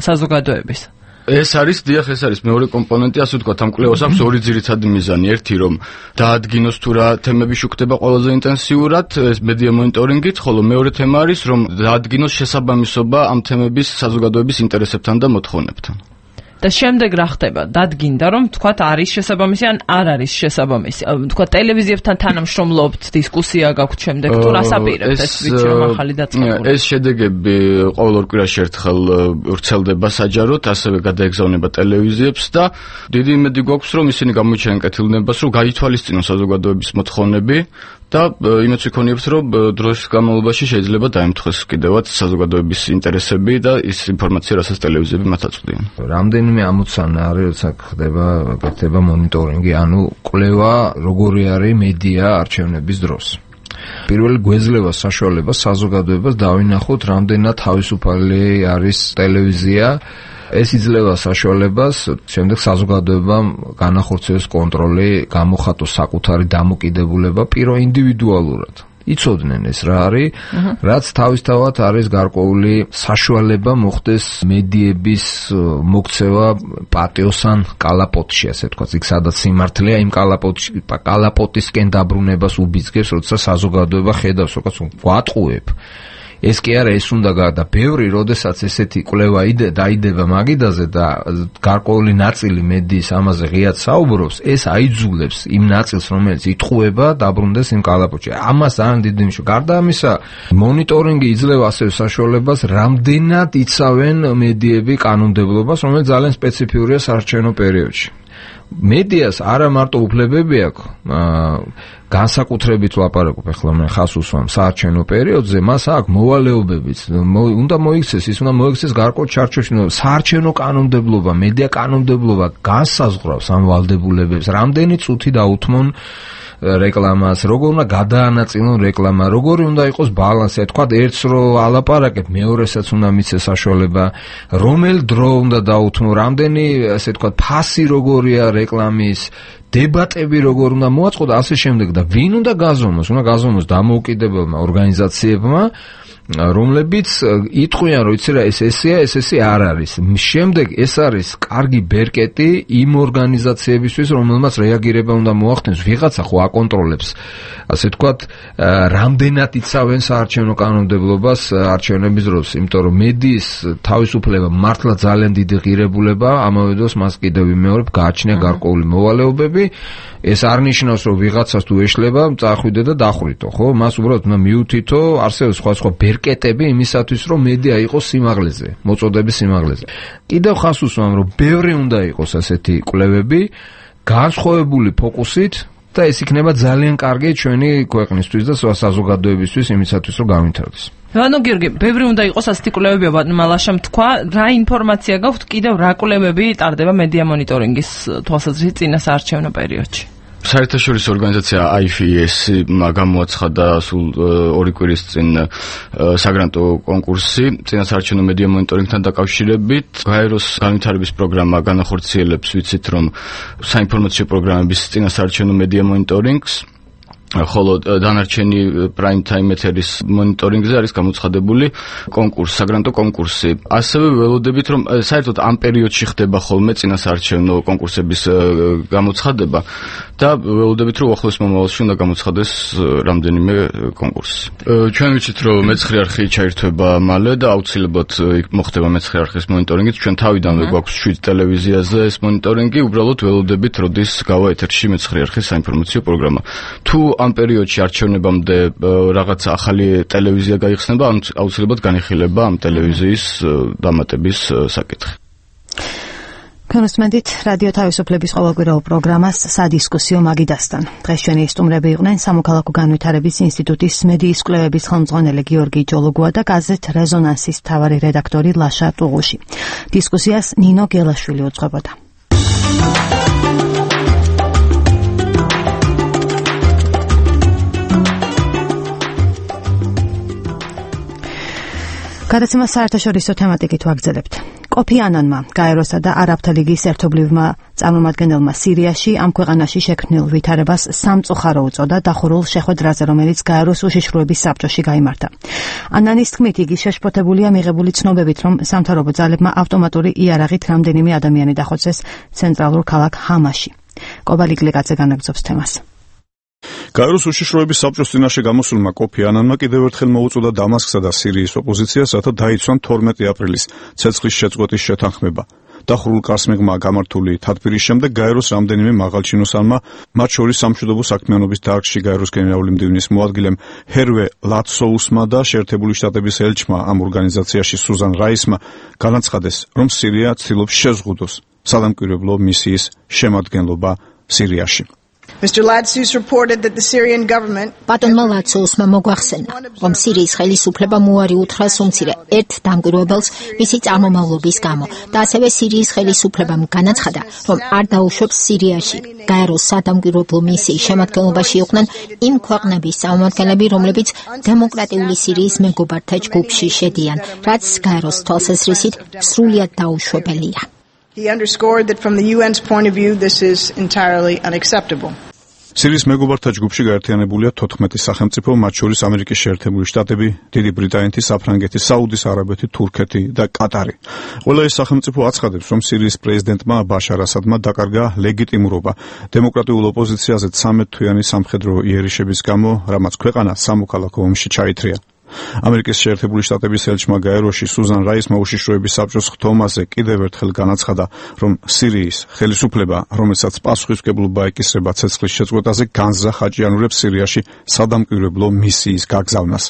საზოგადოების. ეს არის დიახ, ეს არის მეორე კომპონენტი, ასე ვთქვათ, ამ კვლევას აქვს ორი ძირითადი მიზანი. ერთი რომ დაადგინოს თუ რა თემები შუქდება ყველაზე ინტენსიურად, ეს მედია მონიტორინგით, ხოლო მეორე თემა არის რომ დაადგინოს შესაბამისობა ამ თემების საზოგადოების ინტერესებთან და მოთხოვნებთან. და შემდეგ რა ხდება? დადგინდა რომ თქვათ არის შესაბამისი ან არ არის შესაბამისი. თქვათ ტელევიზიებთან თანამშრომლობთ, დისკუსია გაქვთ შემდეგ თუ რას აპირებთ ეს ვიცი რომ ახალი დაწყებული. ეს შედეგები ყოველ ორ კვირაში ერთხელ ვრცელდება საჯაროდ, ასევე გადაეგზავნება ტელევიზიებს და დიდი იმედი გვაქვს რომ ისინი გამოიჩენენ კეთილნებას, რომ გაითვალისწინონ საზოგადოების მოთხოვნები და იმეც ვიქონიებთ რომ დროის განმავლობაში შეიძლება დაემთხეს კიდევაც საზოგადოების ინტერესები და ის ინფორმაცია, რასაც ტელევიზიები მათ აწვდიან. რამდენიმე ამოცანა არის, როცა ხდება გაკეთება მონიტორინგი, ანუ კვლევა როგორი არის მედია არჩევნების დროს. პირველი გვეძლევა საშუალებას საზოგადოებას დავინახოთ, რამდენად თავისუფალი არის ტელევიზია. ეს იძლევა საშუალებას შემდეგ საზოგადოებამ განახორციელოს კონტროლი, გამოხატოს საკუთარი დამოკიდებულება პირო ინდივიდუალურად. იცოდნენ ეს რა არის, რაც თავისთავად არის გარკვეული საშუალება მოხდეს მედიების მოქცევა პატიოსან კალაპოტში, ასე ვთქვათ, იქ სადაც სიმართლეა, იმ კალაპოტში, კალაპოტისკენ დაბრუნებას უბიძგებს, როცა საზოგადოება ხედავს, როგორც გვატყუებ. ეს კი არა, ეს უნდა და ბევრი, როდესაც ესეთი კვლევა დაიდება მაგიდაზე და გარკვეული ნაწილი მედიის ამაზე ღიად საუბრობს, ეს აიძულებს იმ ნაწილს, რომელიც იტყუება, დაბრუნდეს იმ კალაპოტში. ამას ძალიან დიდი მნიშვნელობა. გარდა ამისა, მონიტორინგი იძლევა ასევე საშუალებას, რამდენად იცავენ მედიები კანონმდებლობას, რომელიც ძალიან სპეციფიურია საარჩევნო პერიოდში. მედიას არა მარტო უფლებები აქვს, განსაკუთრებით ვაპარაკობ ახლა მე ხას უსვამ საარჩევნო პერიოდზე, მას აქვს მოვალეობებიც, უნდა მოიქცეს, ის უნდა მოიქცეს გარკვეულ ჩარჩოში, საარჩევნო კანონმდებლობა, მედია კანონმდებლობა განსაზღვრავს ამ ვალდებულებებს, რამდენი წუთი დაუთმონ რეკლამას, როგორ უნდა გადაანაწილონ რეკლამა, როგორი უნდა იყოს ბალანსი, თქვა ერთს რო ალაპარაკებ, მეორესაც უნდა მიცეს საშუალება, რომელ დრო უნდა დაუთმო, რამდენი, ასე თქვა, ფასი როგორია რეკლამის, დებატები როგორ უნდა მოაწყო და ასე შემდეგ და ვინ უნდა გაზომოს, უნდა გაზომოს დამოუკიდებელმა ორგანიზაციებმა, რომლებიც იტყვიან, რომ იცი რა ეს ესეა, ეს ესე არ არის. შემდეგ ეს არის კარგი ბერკეტი იმ ორგანიზაციებისთვის, რომელმაც რეაგირება უნდა მოახდენოს, ვიღაცა ხო აკონტროლებს, ასე ვთქვათ, რამდენად იცავენ საარჩევნო კანონმდებლობას არჩევნების დროს, იმიტომ რომ მედიის თავისუფლება მართლა ძალიან დიდი ღირებულება, ამავე დროს მას კიდევ ვიმეორებ, გააჩნია გარკვეული მოვალეობები. ეს არ ნიშნავს, რომ ვიღაცას თუ ეშლება, წახვიდე და დახრიტო, ხო? მას უბრალოდ უნდა მიუთითო, არსებობს სხვა სხვა ბერკეტები იმისათვის, რომ მედია იყოს სიმაღლეზე, მოწოდების სიმაღლეზე. კიდევ ხას უსვამ, რომ ბევრი უნდა იყოს ასეთი კვლევები, განსხვავებული ფოკუსით და ეს იქნება ძალიან კარგი ჩვენი ქვეყნისთვის და საზოგადოებისთვის იმისათვის, რომ გავითარდეს. ანუ გიორგი, ბევრი უნდა იყოს ასეთი კვლევები, მალაშამ თქვა, რა ინფორმაცია გაქვთ კიდევ რა კვლევები ტარდება მედია მონიტორინგის თვალსაზრისით წინა საარჩევნო პერიოდში? საერთაშორისო ორგანიზაცია აი ეფ ი ეს გამოაცხადა სულ ორი კვირის წინ საგრანტო კონკურსი წინასაარჩევნო მედია მონიტორინგთან დაკავშირებით. გაეროს განვითარების პროგრამა განახორციელებს, ვიცით რომ საინფორმაციო პროგრამების წინასაარჩევნო მედია მონიტორინგს, ხოლო დანარჩენი პრაიმ ტაიმ ეთერის მონიტორინგზე არის გამოცხადებული კონკურსი, საგრანტო კონკურსი. ასევე ველოდებით, რომ საერთოდ ამ პერიოდში ხდება ხოლმე წინასაარჩევნო კონკურსების გამოცხადება და ველოდებით, რომ ახლოს მომავალში უნდა გამოცხადდეს რამდენიმე კონკურსი. ჩვენ ვიცით, რომ მეცხრე არხი ჩაირთვება მალე და აუცილებლად მოხდება მეცხრე არხის მონიტორინგი. ჩვენ თავიდანვე გვაქვს შვიდ ტელევიზიაზე ეს მონიტორინგი, უბრალოდ ველოდებით, როდის გავა ეთერში მეცხრე არხის საინფორმაციო პროგრამა. თუ ამ პერიოდში არჩევნებამდე რაღაც ახალი ტელევიზია გაიხსნება, აუცილებლად განიხილება ამ ტელევიზიის დამატების საკითხი. განსმენდით რადიო თავისუფლების ყოველკვირეულ პროგრამას სადისკუსიო მაგიდასთან. დღეს ჩვენი სტუმრები იყვნენ სამოქალაქო განვითარების ინსტიტუტის მედიის კვლევების ხელმძღვანელი გიორგი ჯოლოგუა და გაზეთ რეზონანსის მთავარი რედაქტორი ლაშა ტუღუში. დისკუსიას ნინო გელაშვილი უძღვებოდა. გადაცემა საერთაშორისო თემატიკით ვაგრძელებთ. კოფი ანანმა, გაეროსა და არაბთა ლიგის ერთობლივმა წარმომადგენელმა სირიაში ამ ქვეყანაში შექმნილ ვითარებას სამწუხარო უწოდა დახურულ შეხვედრაზე, რომელიც გაეროს უშიშროების საბჭოში გაიმართა. ანანის თქმით, იგი შეშფოთებულია მიღებული ცნობებით, რომ სამთავრობო ძალებმა ავტომატური იარაღით რამდენიმე ადამიანი დახოცეს ცენტრალურ ქალაქ ჰამაში. კობალი გლიკაძე განაგრძობს თემას. გაეროს უშიშროების საბჭოს წინაშე გამოსულმა კოფი ანანმა კიდევ ერთხელ მოუწოდა დამასკსა და სირიის ოპოზიციას, რათა დაიცვან თორმეტი აპრილის ცეცხლის შეწყვეტის შეთანხმება. დახურულ კარს მიღმა გამართული თათბირის შემდეგ გაეროს რამდენიმე მაღალჩინოსანმა, მათ შორის სამშვიდობო საქმიანობის დარგში გაეროს გენერალური მდივნის მოადგილემ ჰერვე ლატსოუსმა და შეერთებული შტატების ელჩმა ამ ორგანიზაციაში სუზან რაისმა განაცხადეს, რომ სირია ცდილობს შეზღუდოს სადამკვირვებლო მისიის შემადგენლობა სირიაში. Mister Latsus reported that the Syrian government ბატონმა ლაცუსმა მოგვახსენა, რომ სირიის ხელისუფლებამ უარი უთხრა უმცირე ერთ დამკვირვებელს მისი წარმომავლობის გამო და ასევე სირიის ხელისუფლებამ განაცხადა, რომ არ დაუშვებს სირიაში გაეროს სადამკვირვებლო მისიის შემადგენლობაში იყვნენ იმ ქვეყნების წარმომადგენლები, რომლებიც დემოკრატიული სირიის მეგობართა ჯგუფში შედიან, რაც გაეროს თვალსაზრისით სრულიად დაუშვებელია. He underscored that from the U N's point of view this is entirely unacceptable. სირიის მეგობართა ჯგუფში გაერთიანებულია თოთხმეტი სახელმწიფო, მათ შორის ამერიკის შეერთებული შტატები, დიდი ბრიტანეთი, საფრანგეთი, საუდის არაბეთი, თურქეთი და კატარი. ყველა ეს სახელმწიფო აცხადებს, რომ სირიის პრეზიდენტმა ბაშარ ასადმა დაკარგა ლეგიტიმურობა დემოკრატიულ ოპოზიციაზე ცამეტ-თვიანი სამხედრო იერიშების გამო, რამაც ქვეყანა სამოქალაქო ომში ჩაითრია. ამერიკის შეერთებული შტატების ელჩმა გაეროში სუზან რაისმა უშიშროების საბჭოს ხდომაზე კიდევ ერთხელ განაცხადა, რომ სირიის ხელისუფლება, რომელსაც პასუხისმგებლობა ეკისრება ცეცხლის შეწყვეტაზე, განზრახ აჭიანურებს სირიაში სადამკვირვებლო მისიის გაგზავნას.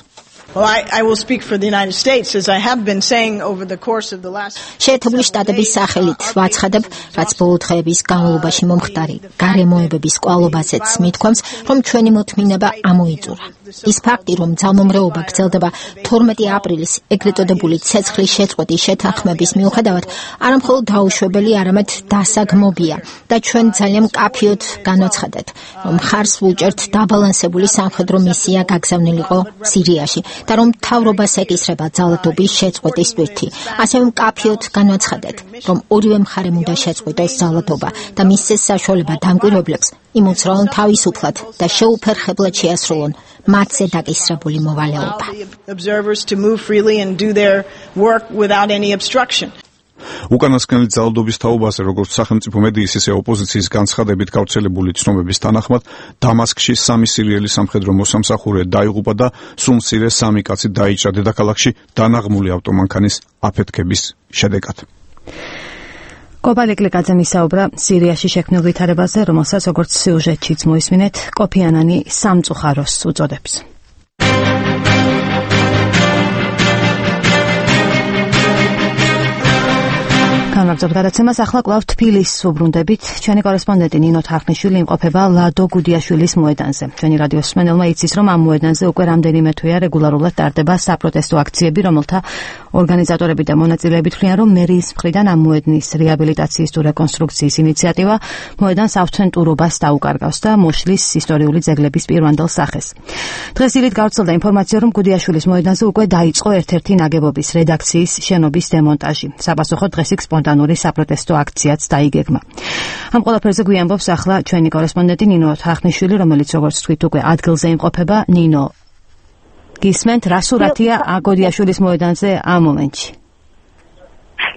Well, I, I will speak for the United States, as I have been saying over the course of the last... შეერთებული შტატების სახელით ვაცხადებ, რაც ბოლო დღეების განმავლობაში მომხდარი გარემოებების კვალობაზეც მithქვამს, რომ ჩვენი მოთმინება ამოიწურა. ის ფაქტი, რომ ძალმომრეობა გრძელდება თორმეტი აპრილის ეგრეთ წოდებული ცეცხლის შეწყვეტის შეთანხმების მიუხედავად, არამხოლოდ დაუშვებელი, არამედ დასაგმობია და ჩვენ ძალიან მკაფიოდ განვაცხადეთ, რომ ხარს ვუჭერთ დაბალანსებული სამხედრო მისია გაგზავნილიყო სირიაში და რომ მთავრობას ეკისრება ძალადობის შეწყვეტის ტვირთი. ასევე მკაფიოდ განვაცხადეთ, რომ ორივე მხარემ უნდა შეწყვიტოს ძალადობა და მისცეს საშუალება დამკვირვებლებს იმოძრაონ თავისუფლად და შეუფერხებლად შეასრულონ მათზე დაკისრებული მოვალეობა. Observers to move freely and do their work without any obstruction. უკანასკნელი ძალადობის თაობაზე, როგორც სახელმწიფო მედიის, ისე ოპოზიციის განცხადებით გავრცელებული ცნობების თანახმად, დამასკში სამი სირიელი სამხედრო მოსამსახურე დაიღუპა და სულ მცირე სამი კაცი დაიჭრა დედაქალაქში დანაღმული ავტომანქანის აფეთქების შედეგად. კოპა ლეკლიკაძე მისაუბრა სირიაში შექმნილ ვითარებაზე, რომელსაც როგორც სიუჟეტშიც მოისმინეთ, კოფი ანანი სამწუხაროს უწოდებს. განმარტოთ გადაცემას, ახლა კვლავ თბილისს უბრუნდებით. ჩვენი კორესპონდენტი ნინო თარხნიშვილი იმყოფება ლადო გუდიაშვილის მოედანზე. ჩვენი რადიოს მსმენელმა იცის, რომ ამ მოედანზე უკვე რამდენიმე თვეა რეგულარულად ტარდება საპროტესტო აქციები, რომელთა ორგანიზატორები და მონაწილეები თვლიან, რომ მერიის მხრიდან ამ მოედნის რეაბილიტაციის თუ რეკონსტრუქციის ინიციატივა მოედანს ავთენტურობას დაუკარგავს და მოშლის ისტორიული ძეგლების პირვანდელ სახეს. დღეს ილით გავრცელდა ინფორმაცია, რომ გუდიაშვილის მოედანზე უკვე დაიწყო ერთ-ერთი ნაგებობის რედაქციის შენობის დემონტაჟი. საპასუხოდ დღეს იქ სპონტანური საპროტესტო აქციაც დაიგეგმა. ამ ყველაფერზე გვიამბობს ახლა ჩვენი კორესპონდენტი ნინო თარხნიშვილი, რომელიც როგორც თქვით უკვე ადგილზე იმყოფება. ნინო, გისმენთ, რა სურათია გუდიაშვილის მოედანზე ამ მომენტში?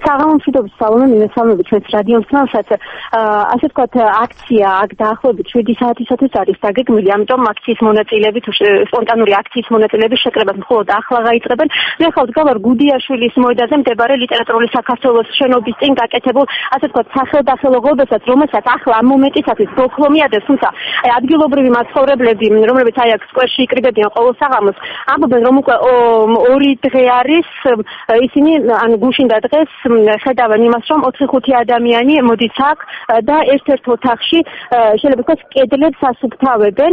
საღამომშვიდობის სალონი მისამები ჩვენს რადიოსმენსაც, ასე ვთქვათ, აქცია აქ დაახლოებით შვიდი საათისათვის არის დაგეგმილი, ამიტომ აქციის მონაწილეები თუ სპონტანური აქციის მონაწილეები შეკრებას მხოლოდ ახლა გაიწყებენ. მე ხალხ გავარ გუდიაშვილის მოედანზე მდებარე ლიტერატურული საქართველოს შენობის წინ გაკეთებულ, ასე ვთქვათ, სახელდახელოღობასაც, რომელსაც ახლა ამ მომენტისათვის ბოლქვომიადებს, თუმცა ადგილობრივი მაცხოვრებლები, რომლებიც აი აქ სკვერში იკრიბებიან ყოველ საღამოს, ამბობენ, რომ უკვე ორი დღე არის ისინი ან გუშინდა დღეს ხედავენ იმას, რომ ოთხი ხუთი ადამიანი მოდის აქ და ერთ-ერთ ოთახში შეიძლება ვთქვათ კედლებს ასუფთავებენ.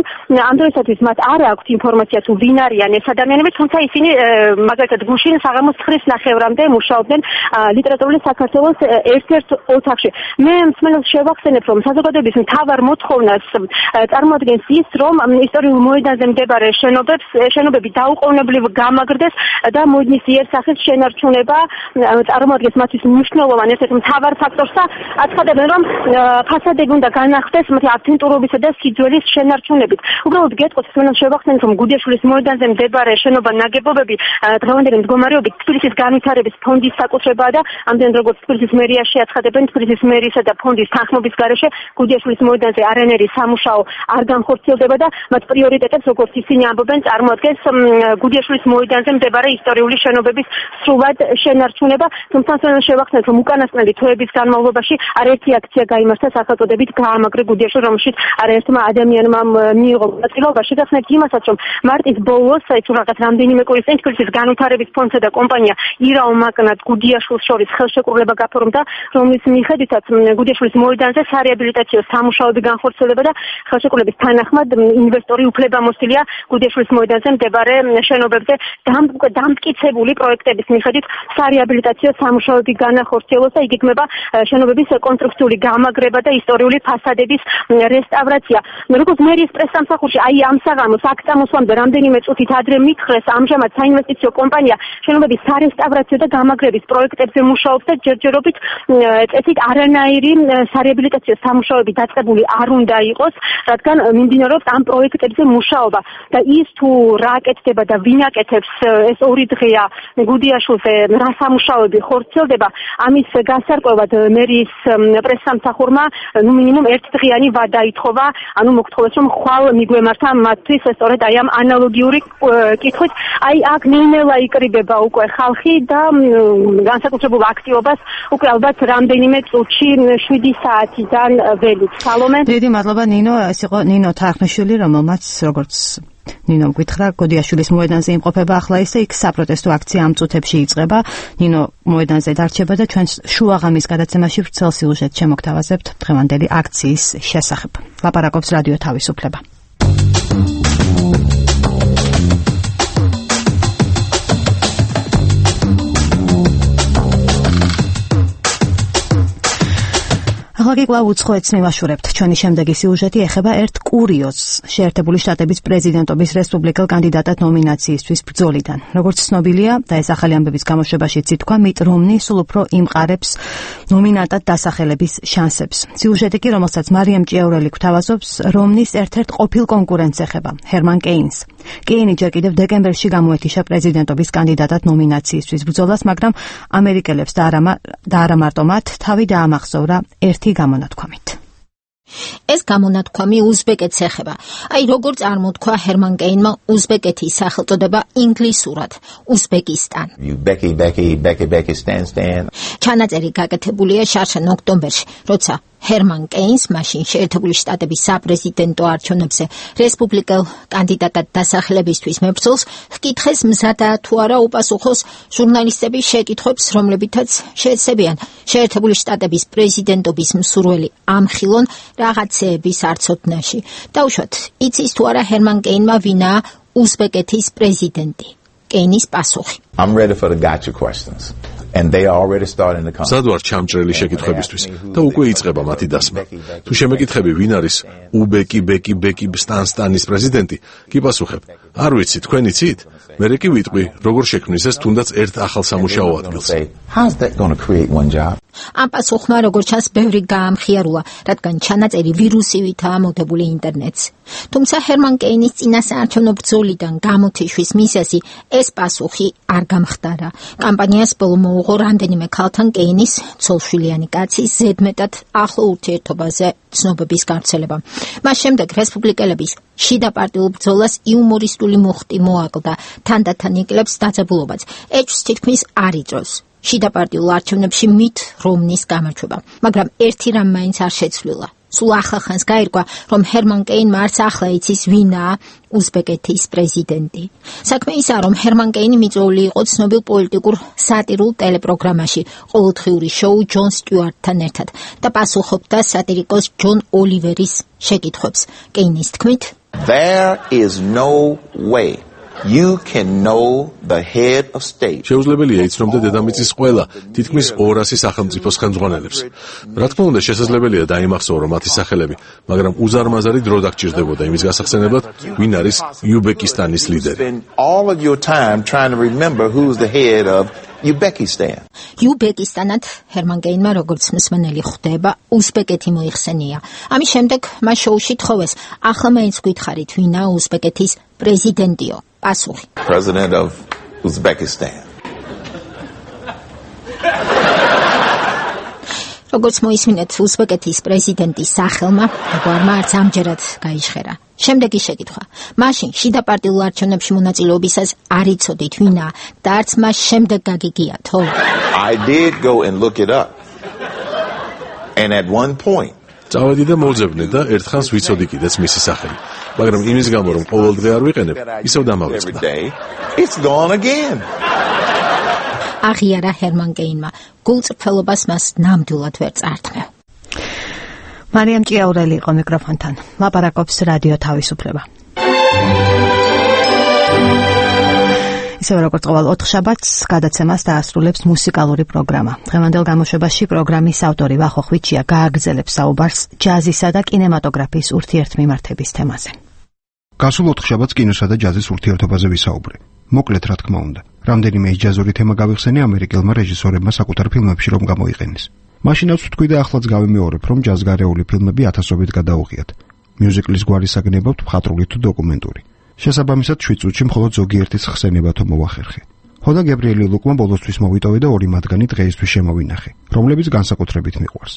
ამ დროისათვის მათ არ აქვთ ინფორმაცია თუ ვინ არიან ეს ადამიანები, თუმცა ისინი მაგალითად გუშინ საღამოს ცხრის ნახევრამდე მუშაობდნენ ლიტერატურული საქართველოს ერთ-ერთ ოთახში. მე მსმენელს შევახსენებ, რომ საზოგადოების მთავარ მოთხოვნას წარმოადგენს ის, რომ ისტორიულ მოედანზე მდებარე შენობებს შენობები დაუყოვნებლივ გამაგრდეს და მოედნის იერსახის შენარჩუნება წარმოადგენს მათთვის მნიშვნელოვან ერთ-ერთ მთავარ ფაქტორს და აცხადებენ, რომ ფასადები უნდა განახდეს მათი ავთენტურობისა და სიძველის შენარჩუნებით. უბრალოდ გეტყვით, მსმენელს შევახსენებ, რომ გუდიაშვილის მოედანზე მდებარე შენობა ნაგებობები დღევანდელი მდგომარეობით თბილისის განვითარების ფონდის საკუთრებაა და ამდენ როგორც თბილისის მერიაში აცხადებენ, თბილისის მერიისა და ფონდის თანხმობის გარეშე გუდიაშვილის მოედანზე არანაირი სამუშაო არ განხორციელდება და მათ პრიორიტეტებს, როგორც ისინი ამბობენ, წარმოადგენს გუდიაშვილის მოედანზე მდებარე ისტორიული შენობების სრულად შენარჩუნება. თუმცა ამან შევახსენოთ, რომ უკანასკნელი თვეების განმავლობაში არაერთი აქცია გაიმართა სახელწოდებით გაამაგრე გუდიაშვილი, რომელშიც არაერთმა ადამიანმა მიიღო მონაწილეობა. შეგახსენებთ იმასაც, რომ მარტის ბოლოს, აი თუ რაღაც რამდენიმე კვირის წინ თბილისის განვითარების ფონდსა და კომპანია ირაო მაგნატ გუდიაშვილს შორის ხელშეკრულება გაფორმდა, რომლის მიხედვითაც გუდიაშვილის მოედანზე სარეაბილიტაციო სამუშაოები განხორციელდება და ხელშეკრულების თანახმად ინვესტორი უფლებამოსილია გუდიაშვილის მოედანზე მდებარე შენობებზე დამტკიცებული პროექტების მიხედვით სარეაბილიტაციო სამუშაოები განახორციელოს და იგეგმება შენობების კონსტრუქციული გამაგრება და ისტორიული ფასადების რესტავრაცია. როგორც მერიის პრესსამსახურში აი ამ საღამოს აქ წამოსვლამდე რამდენიმე წუთით ადრე მითხრეს, ამჟამად საინვესტიციო კომპანია შენობების სარესტავრაციო და გამაგრების პროექტებზე მუშაობს და ჯერჯერობით წესით არანაირი სარეაბილიტაციო სამუშაოები დაწყებული არ უნდა იყოს, რადგან მიმდინარეობს ამ პროექტებზე მუშაობა და ის თუ რა აკეთდება და ვინ აკეთებს, ეს ორი დღეა გუდიაშვილზე რა სამუშაოები ხორციელდება, ამის გასარკვევად მერიის პრესსამსახურმა ნუ მინიმუმ ერთდღიანი ვადა ითხოვა, ანუ მოგთხოვეს რომ ხვალ მიგვემართა მათთვის სწორედ აი ამ ანალოგიური კითხვით. აი აქ ნელ-ნელა იკრიბება უკვე ხალხი და განსაკუთრებულ აქტივობას უკვე ალბათ რამდენიმე წუთში შვიდი საათიდან ველით. სალომე. დიდი მადლობა ნინო, ეს იყო ნინო თარხნიშვილი, რომელმაც როგორც ნინო გითხრა, გოდიაშვილის მოედანზე იმყოფება ახლა ის და იქ საპროტესტო აქცია ამ წუთებში იწყება. ნინო მოედანზე დარჩება და ჩვენ შუაღამის გადაცემაში ვრცელ სიუჟეტს შემოგთავაზებთ დღევანდელი აქციის შესახებ. ლაპარაკობს რადიო თავისუფლება. ახლა კი კვლავ უცხოეთს მივაშურებთ. ჩვენი შემდეგი სიუჟეტი ეხება ერთ კურიოზს შეერთებული შტატების პრეზიდენტობის რესპუბლიკელ კანდიდატად ნომინაციისთვის ბრძოლიდან. როგორც ცნობილია და ეს ახალი ამბების გამოშვებაშიც ითქვა, მიტ რომნი სულ უფრო იმყარებს ნომინანტად დასახელების შანსებს. სიუჟეტი კი, რომელსაც მარიამ ჭიაურელი გვთავაზობს, რომნის ერთ-ერთ ყოფილ კონკურენტს ეხება, ჰერმან კეინს. კეინი ჯერ კიდევ დეკემბერში გამოეთიშა პრეზიდენტობის კანდიდატად ნომინაციისთვის ბრძოლას, მაგრამ ამერიკელებს და არა მარტო მათ თავი დაამახსოვრა ერთი გამონათქვამით. ეს გამონათქვამი უზბეკეთს ეხება. აი როგორ წარმოთქვა ჰერმან კეინმა უზბეკეთის სახელწოდება ინგლისურად უზბეკისტან. Becky Becky Becky Becky stand stand. ჩანაწერი გაკეთებულია შარშან ოქტომბერში, როცა ჰერმან კეინს მაშინ შეერთებული შტატების საპრეზიდენტო არჩევნებზე რესპუბლიკელ კანდიდატად დასახელებისთვის მებრძოლს ჰკითხეს მზადა თუ არა უპასუხოს ჟურნალისტების შეკითხვებს, რომლებითაც შეეცებიან შეერთებული შტატების პრეზიდენტობის მსურველი ამხილონ რაღაცეების არცოდნაში. დაუშვათ, იცის თუ არა ჰერმან კეინმა ვინაა უზბეკეთის პრეზიდენტი. კეინის პასუხი. I'm ready for the gotcha questions. And they are already starting to come. სადვარ ჩამჭრელი შეკითხვებისთვის და უკვე იწყება მათი დასმა. თუ შემეკითხები ვინ არის უბეკი ბეკი ბეკი სტანსტანის პრეზიდენტი, კი პასუხებ. არ ვიცი, თქვენ იცით? მერე კი ვიტყვი, როგორ შექმნის ეს თუნდაც ერთ ახალ სამუშაო ადგილს. How's that going to create one job? ამ პასუხმა როგორც ჩანს ბევრი გაამხიარულა, რადგან ჩანაწერი ვირუსივითაა მოდებული ინტერნეტს. თუმცა ჰერმან კეინის წინასაარჩევნო ბრძოლიდან გამოთიშვის მიზეზი ეს პასუხი არ გამხდარა. კამპანიას ბოლო მოუღო რამდენიმე ქალთან კეინის ცოლშვილიანი კაცის ზედმეტად ახლო ურთიერთობაზე ცნობების გავრცელება. მას შემდეგ რესპუბლიკელების შიდა პარტიულ ბრძოლას იუმორისტული მუხტი მოაკლდა, თანდათან იკლებს დაძაბულობაც. ეჭვს თითქმის არ იწვევს შიდა პარტიულ არჩევნებში მით რომნის გამარჯვება, მაგრამ ერთი რამ მაინც არ შეცვლილა. სულ ახლახანს გაირკვა, რომ ჰერმან კეინმა არც ახლა იცის ვინაა უზბეკეთის პრეზიდენტი. საქმე ისაა, რომ ჰერმან კეინი მიწვეული იყო ცნობილ პოლიტიკურ სატირულ ტელეპროგრამაში ყოველდღიური შოუ ჯონ სტიუარტთან ერთად და პასუხობდა სატირიკოს ჯონ ოლივერის შეკითხვებს. კეინის თქმით, There is no way you can know the head of state. შეუძლებელია იცნობდა დედამიწის ყველა თითქმის ორასი სახელმწიფოს ხელმძღვანელებს. რა თქმა უნდა, შესაძლებელია დაიმახსოვრა მათი სახელები, მაგრამ უზარმაზარი დრო დაგჭირდებოდა იმის გასახსენებლად, ვინ არის იუბეკისტანის ლიდერი. All of your time trying to remember who's the head of Uzbekistan. იუბეკისტანად ჰერმან კეინმა როგორც მსმენელი ხვდება, უზბეკეთი მოიხსენია. ამის შემდეგ მას შოუში თხოვეს, ახლა მაინც გითხარით, ვინაა უზბეკეთის პრეზიდენტიო? პასუხი. President of Uzbekistan. როგორც მოისმინეთ, უზბეკეთის პრეზიდენტის სახელმა გვარმა არც ამჯერად გაიჟღერა. შემდეგი შეკითხვა. მაშინ შიდა პარტიულ არჩევნებში მონაწილეობისას არ იცოდით ვინაა და არც მას შემდეგ გაგიგიათო? I did go and look it up. And at one point წავედი და მოძებნე და ერთხანს ვიცოდი კიდეც მისი სახელი. მაგრამ იმის გამო რომ ყოველდღე არ ვიყენებ, ისევ დამავიწყდა. It's gone again. აღიარა ჰერმან გეინმა. გულწრფელობას მას ნამდვილად ვერ წართმევ. მარიამ ჭიაურელი იყო მიკროფონთან. ლაპარაკობს რადიო თავისუფლება. ისევე როგორც ყოველ ოთხშაბათს გადაცემას დაასრულებს მუსიკალური პროგრამა. დღევანდელ გამოშვებაში პროგრამის ავტორი ვახო ხვიჩია გააგრძელებს საუბარს ჯაზისა და კინემატოგრაფიის ურთიერთმიმართების თემაზე. გასულ ოთხშაბათს კინოსა და ჯაზის ურთიერთობაზე ვისაუბრე. მოკლედ რა თქმა უნდა, რამდენიმე ეს ჯაზური თემა გავიხსენე ამერიკელმა რეჟისორებმა საკუთარ ფილმებში რომ გამოიყენეს. მაშინაც ვთქვი და ახლაც გავიმეორებ, რომ ჯაზგარეული ფილმები ათასობით გადაუღიათ. მიუზიკლის გვარი საგნებავთ მხატვრული თუ დოკუმენტური. შესაბამისად შვიდ წუთში მხოლოდ ზოგიერთის ხსენება თუ მოვახერხე. ხოდა გებრიელი ლუკმა ბოლოსთვის მოვიტოვე და ორი მათგანი დღეისთვის შემოვინახე, რომლებიც განსაკუთრებით მიყვარს.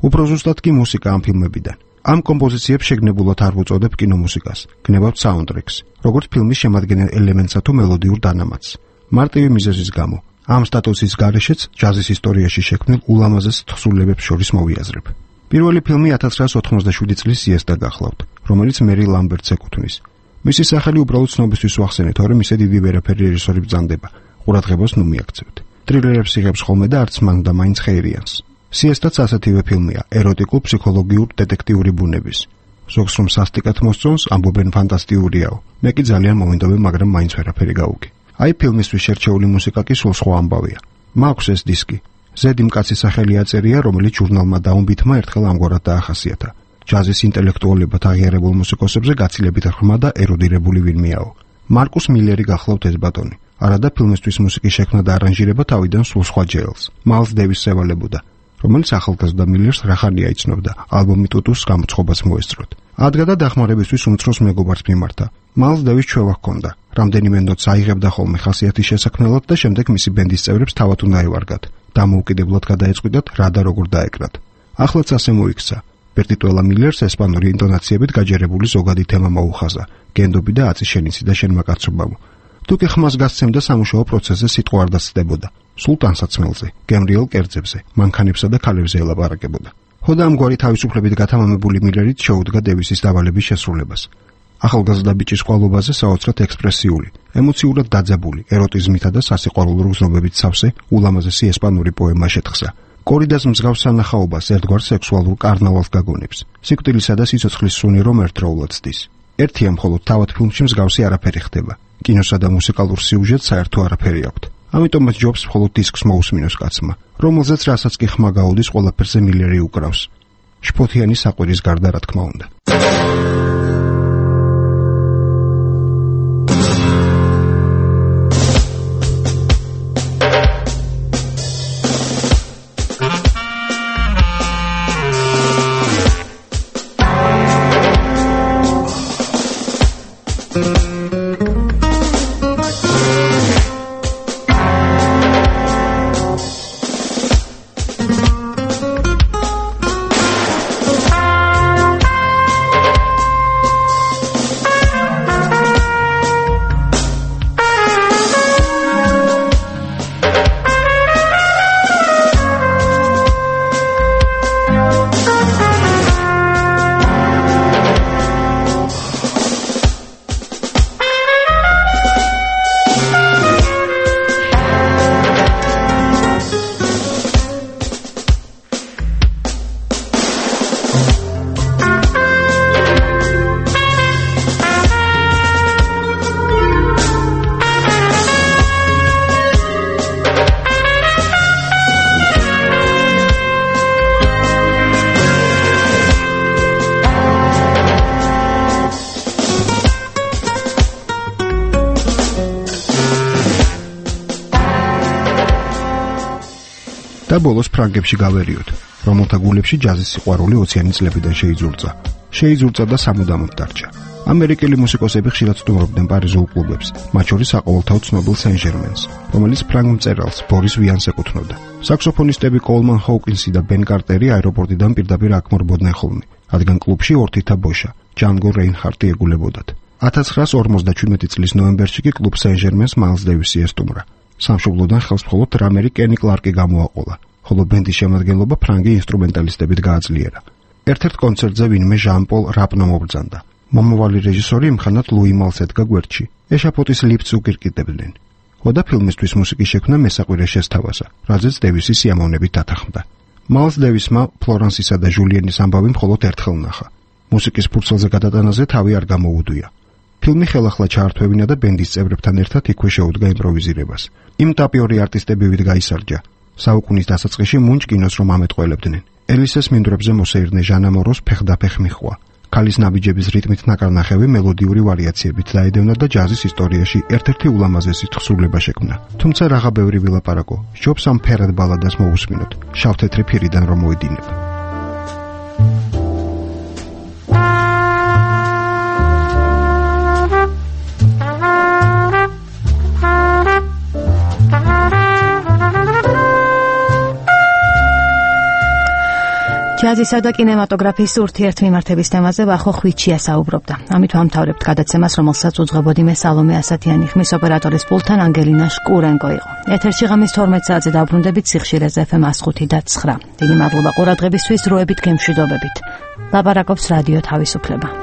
უფრო ზუსტად კი მუსიკა ამ ფილმებიდან. ამ კომპოზიციებს შეგნებულად არ ვუწოდებ კინომუსიკას, გნებავთ საუნდტრეკს, როგორც ფილმის შემადგენელ ელემენტსა თუ მელოდიურ დანამატს. მარტივი მიზეზის გამო, ამ სტატუსის გარეშეც ჯაზის ისტორიაში შექმნილ ულამაზეს თხზულებებს შორის მოვიაზრებ. პირველი ფილმი ათას ცხრაასი ოთხმოცდაშვიდი წლის სიესტა გახლავთ, რომელიც მერი ლამბერტს ეკუთვნის. მისი სახელი უბრალოდ ცნობისთვის ვახსენე, თორემ ისე დიდი ვერაფერი რეჟისორი ბრძანდება. ყურადღებას ნუ მიაქცევთ. ტრილერებს იღებს ხოლმე და არც მან და მაინც ხეირიანს. სიესტაც ასეთივე ფილმია, ეროტიკულ ფსიქოლოგიურ დეტექტიური ბუნების. ზოგს რომ სასტიკად მოსწონს, ამბობენ ფანტასტიკურიაო. მე კი ძალიან მოვინდობე, მაგრამ მაინც ვერაფერი გავუგი. აი ფილმისთვის შერჩეული მუსიკა კი სულ სხვა ამბავია. მაქვს ეს დისკი. ზედი მკაცის სახელი აწერია, რომელიც ჟურნალმა დაუნბითმა ერთხელ ამგვარად დაახასიათა. ჯაზის ინტელექტუალებად აღიარებულ მუსიკოსებზე გაცილებით ღრმა და ეროდირებული ვინმეაო. მარკუს მილერი გახლავთ ეს ბატონი. არადა ფილმისთვის მუსიკის შექმნა და არანჟირება თავიდან სულ სხვა ჯეელს, მაილს დეივისს ევალებოდა, რომელიც ახალგაზრდა მილერს რახანია იცნობდა, ალბომი ტუტუს გამოცხობას მოესწროთ. ადგა და დახმარებისთვის უმცროს მეგობარს მიმართა. მაილს დეივის ჩვევა ჰქონდა, რამდენიმე ნოტს აიღებდა ხოლმე ხასიათის შესაქმნელად და შემდეგ მისი ბენდის წევრებს თავად უნდა ევარგათ, დამოუკიდებლად გადაეწყვიტათ რა და როგორ დაეკრათ. ახლაც ასე მოიქცა. პერტიტუელა მილერს ესპანური ინტონაციებით გაჯერებული ზოგადი თემა მოუხაზა, გენდობი და აწი შენიცი და შენ მაკაცობავ. თუ კი ხმას გასცემდა სამუშაო პროცესზე სიტყვა არ დასწდებოდა. სულ ტანსაცმელზე, გემრიელ კერძებზე, მანქანებსა და ქალებზე ელაპარაკებოდა. ხოდა ამგვარი თავისუფლებით გათამამებული მილერით შეუდგა დევისის დავალების შესრულებას. ახალგაზრდა ბიჭის ყვალობაზე საოცრად ექსპრესიული, ემოციურად დაძაბული, ეროტიზმითა და სასიყვარულო გრძნობებით სავსე, ულამაზესი ესპანური პოემა შეთხსა. კორიდას მსგავს სანახაობას ერთგვარ სექსუალურ კარნავალს გაგონებს. სიკვდილისა და სიცოცხლის სუნი რომ ერთდროულად ცდის. ერთია მხოლოდ თავად ფილმში მსგავსი არაფერი ხდება. კინოსა და მუსიკალურ სიუჟეტს საერთო არაფერი აქვთ. ამიტომაც ჯობს მხოლოდ დისკს მოусმინოს კაცმა, რომელზეც რასაც კი ხმა გაუდის ყველაფერზე მილერი უკრავს. შფოთიანი საყვირის გარდა რა თქმა უნდა. და ბოლოს ფრანგებში გავერიოთ, რომელთა გულებში ჯაზის სიყვარული ოციანი წლებიდან შეიძურწა. შეიძურწა და სამუდამოდ დარჩა. ამერიკელი მუსიკოსები ხშირად სტუმრობდნენ პარიზულ კლუბებს, მათ შორის საყოველთაოდ ცნობილ სენ-ჟერმენს, რომელიც ფრანგ მწერალს ბორის ვიანს ეკუთვნოდა. საქსოფონისტები კოლმან ჰოუკინსი და ბენ კარტერი აეროპორტიდან პირდაპირ აქ მორბოდნენ ხოლმე, რადგან კლუბში ორთითა ბოშა, ჯანგო რეინჰარტი ეგულებოდათ. ათას ცხრაასი ორმოცდაჩვიდმეტი წლის ნოემბერში კი კლუბ სენ-ჟერმენს მაილს დევისი ესტუმრა. სამშობლოდან ხელს მხოლოდ დრამერი კენი კლარკი გამოაყოლა, ხოლო ბენდის შემადგენლობა ფრანგი ინსტრუმენტალისტებით გააძლიერა. ერთ-ერთ კონცერტზე ვინმე ჟან-პოლ რაპნო მობრძანდა. მომავალი რეჟისორი იმხანად ლუი მალს ედგა გვერდში. ეშაპოტის ლიფტს უკირკიტებდნენ. ხოდა ფილმისთვის მუსიკის შექმნა მესაყვირე შესთავაზა, რაზეც დევისი სიამოვნებით დათანხმდა. მალს დევისმა ფლორანსისა და ჟულიანის ამბავი მხოლოდ ერთხელ ნახა. მუსიკის ფურცელზე გადატანაზე თავი არ გამოუდვია. ფილმი ხელახლა ჩაართვევინა და ბენდის წევრებთან ერთად იქვე შეუდგა იმპროვიზირებას. იმ ტაპიორი არტისტებივით გაისარჯა. საუკუნის დასაწყისში მუნჯ კინოს რომ ამეტყველებდნენ. ელისეს მინდვრებზე მოსეირნე ჟანა მოროს ფეხდაფეხ მიხვა. ქალის ნაბიჯების რიტმით ნაკარნახევი მელოდიური ვარიაციებით დაედევნა და ჯაზის ისტორიაში ერთ-ერთი ულამაზესი თხზულება შექმნა. თუმცა რაღა ბევრი ვილაპარაკო, სჯობს ამ ფერად ბალადას მოусმინოთ, შავ-თეთრი ფირიდან რომ მოედინება. ჯაზისა და კინემატოგრაფიის ურთიერთმიმართების თემაზე ვახო ხვიჩია საუბრობდა. ამით ვამთავრებთ გადაცემას, რომელსაც უძღვებოდი მე სალომე ასათიანი, ხმის ოპერატორის პულტთან ანგელინა შკურენკო იყო. ეთერში ღამის თორმეტ საათზე დავბრუნდებით სიხშირეზე ეფ ემ one oh five და nine. დიდი მადლობა ყურადღებისთვის, დროებით გემშვიდობებით. ლაპარაკობს რადიო თავისუფლება.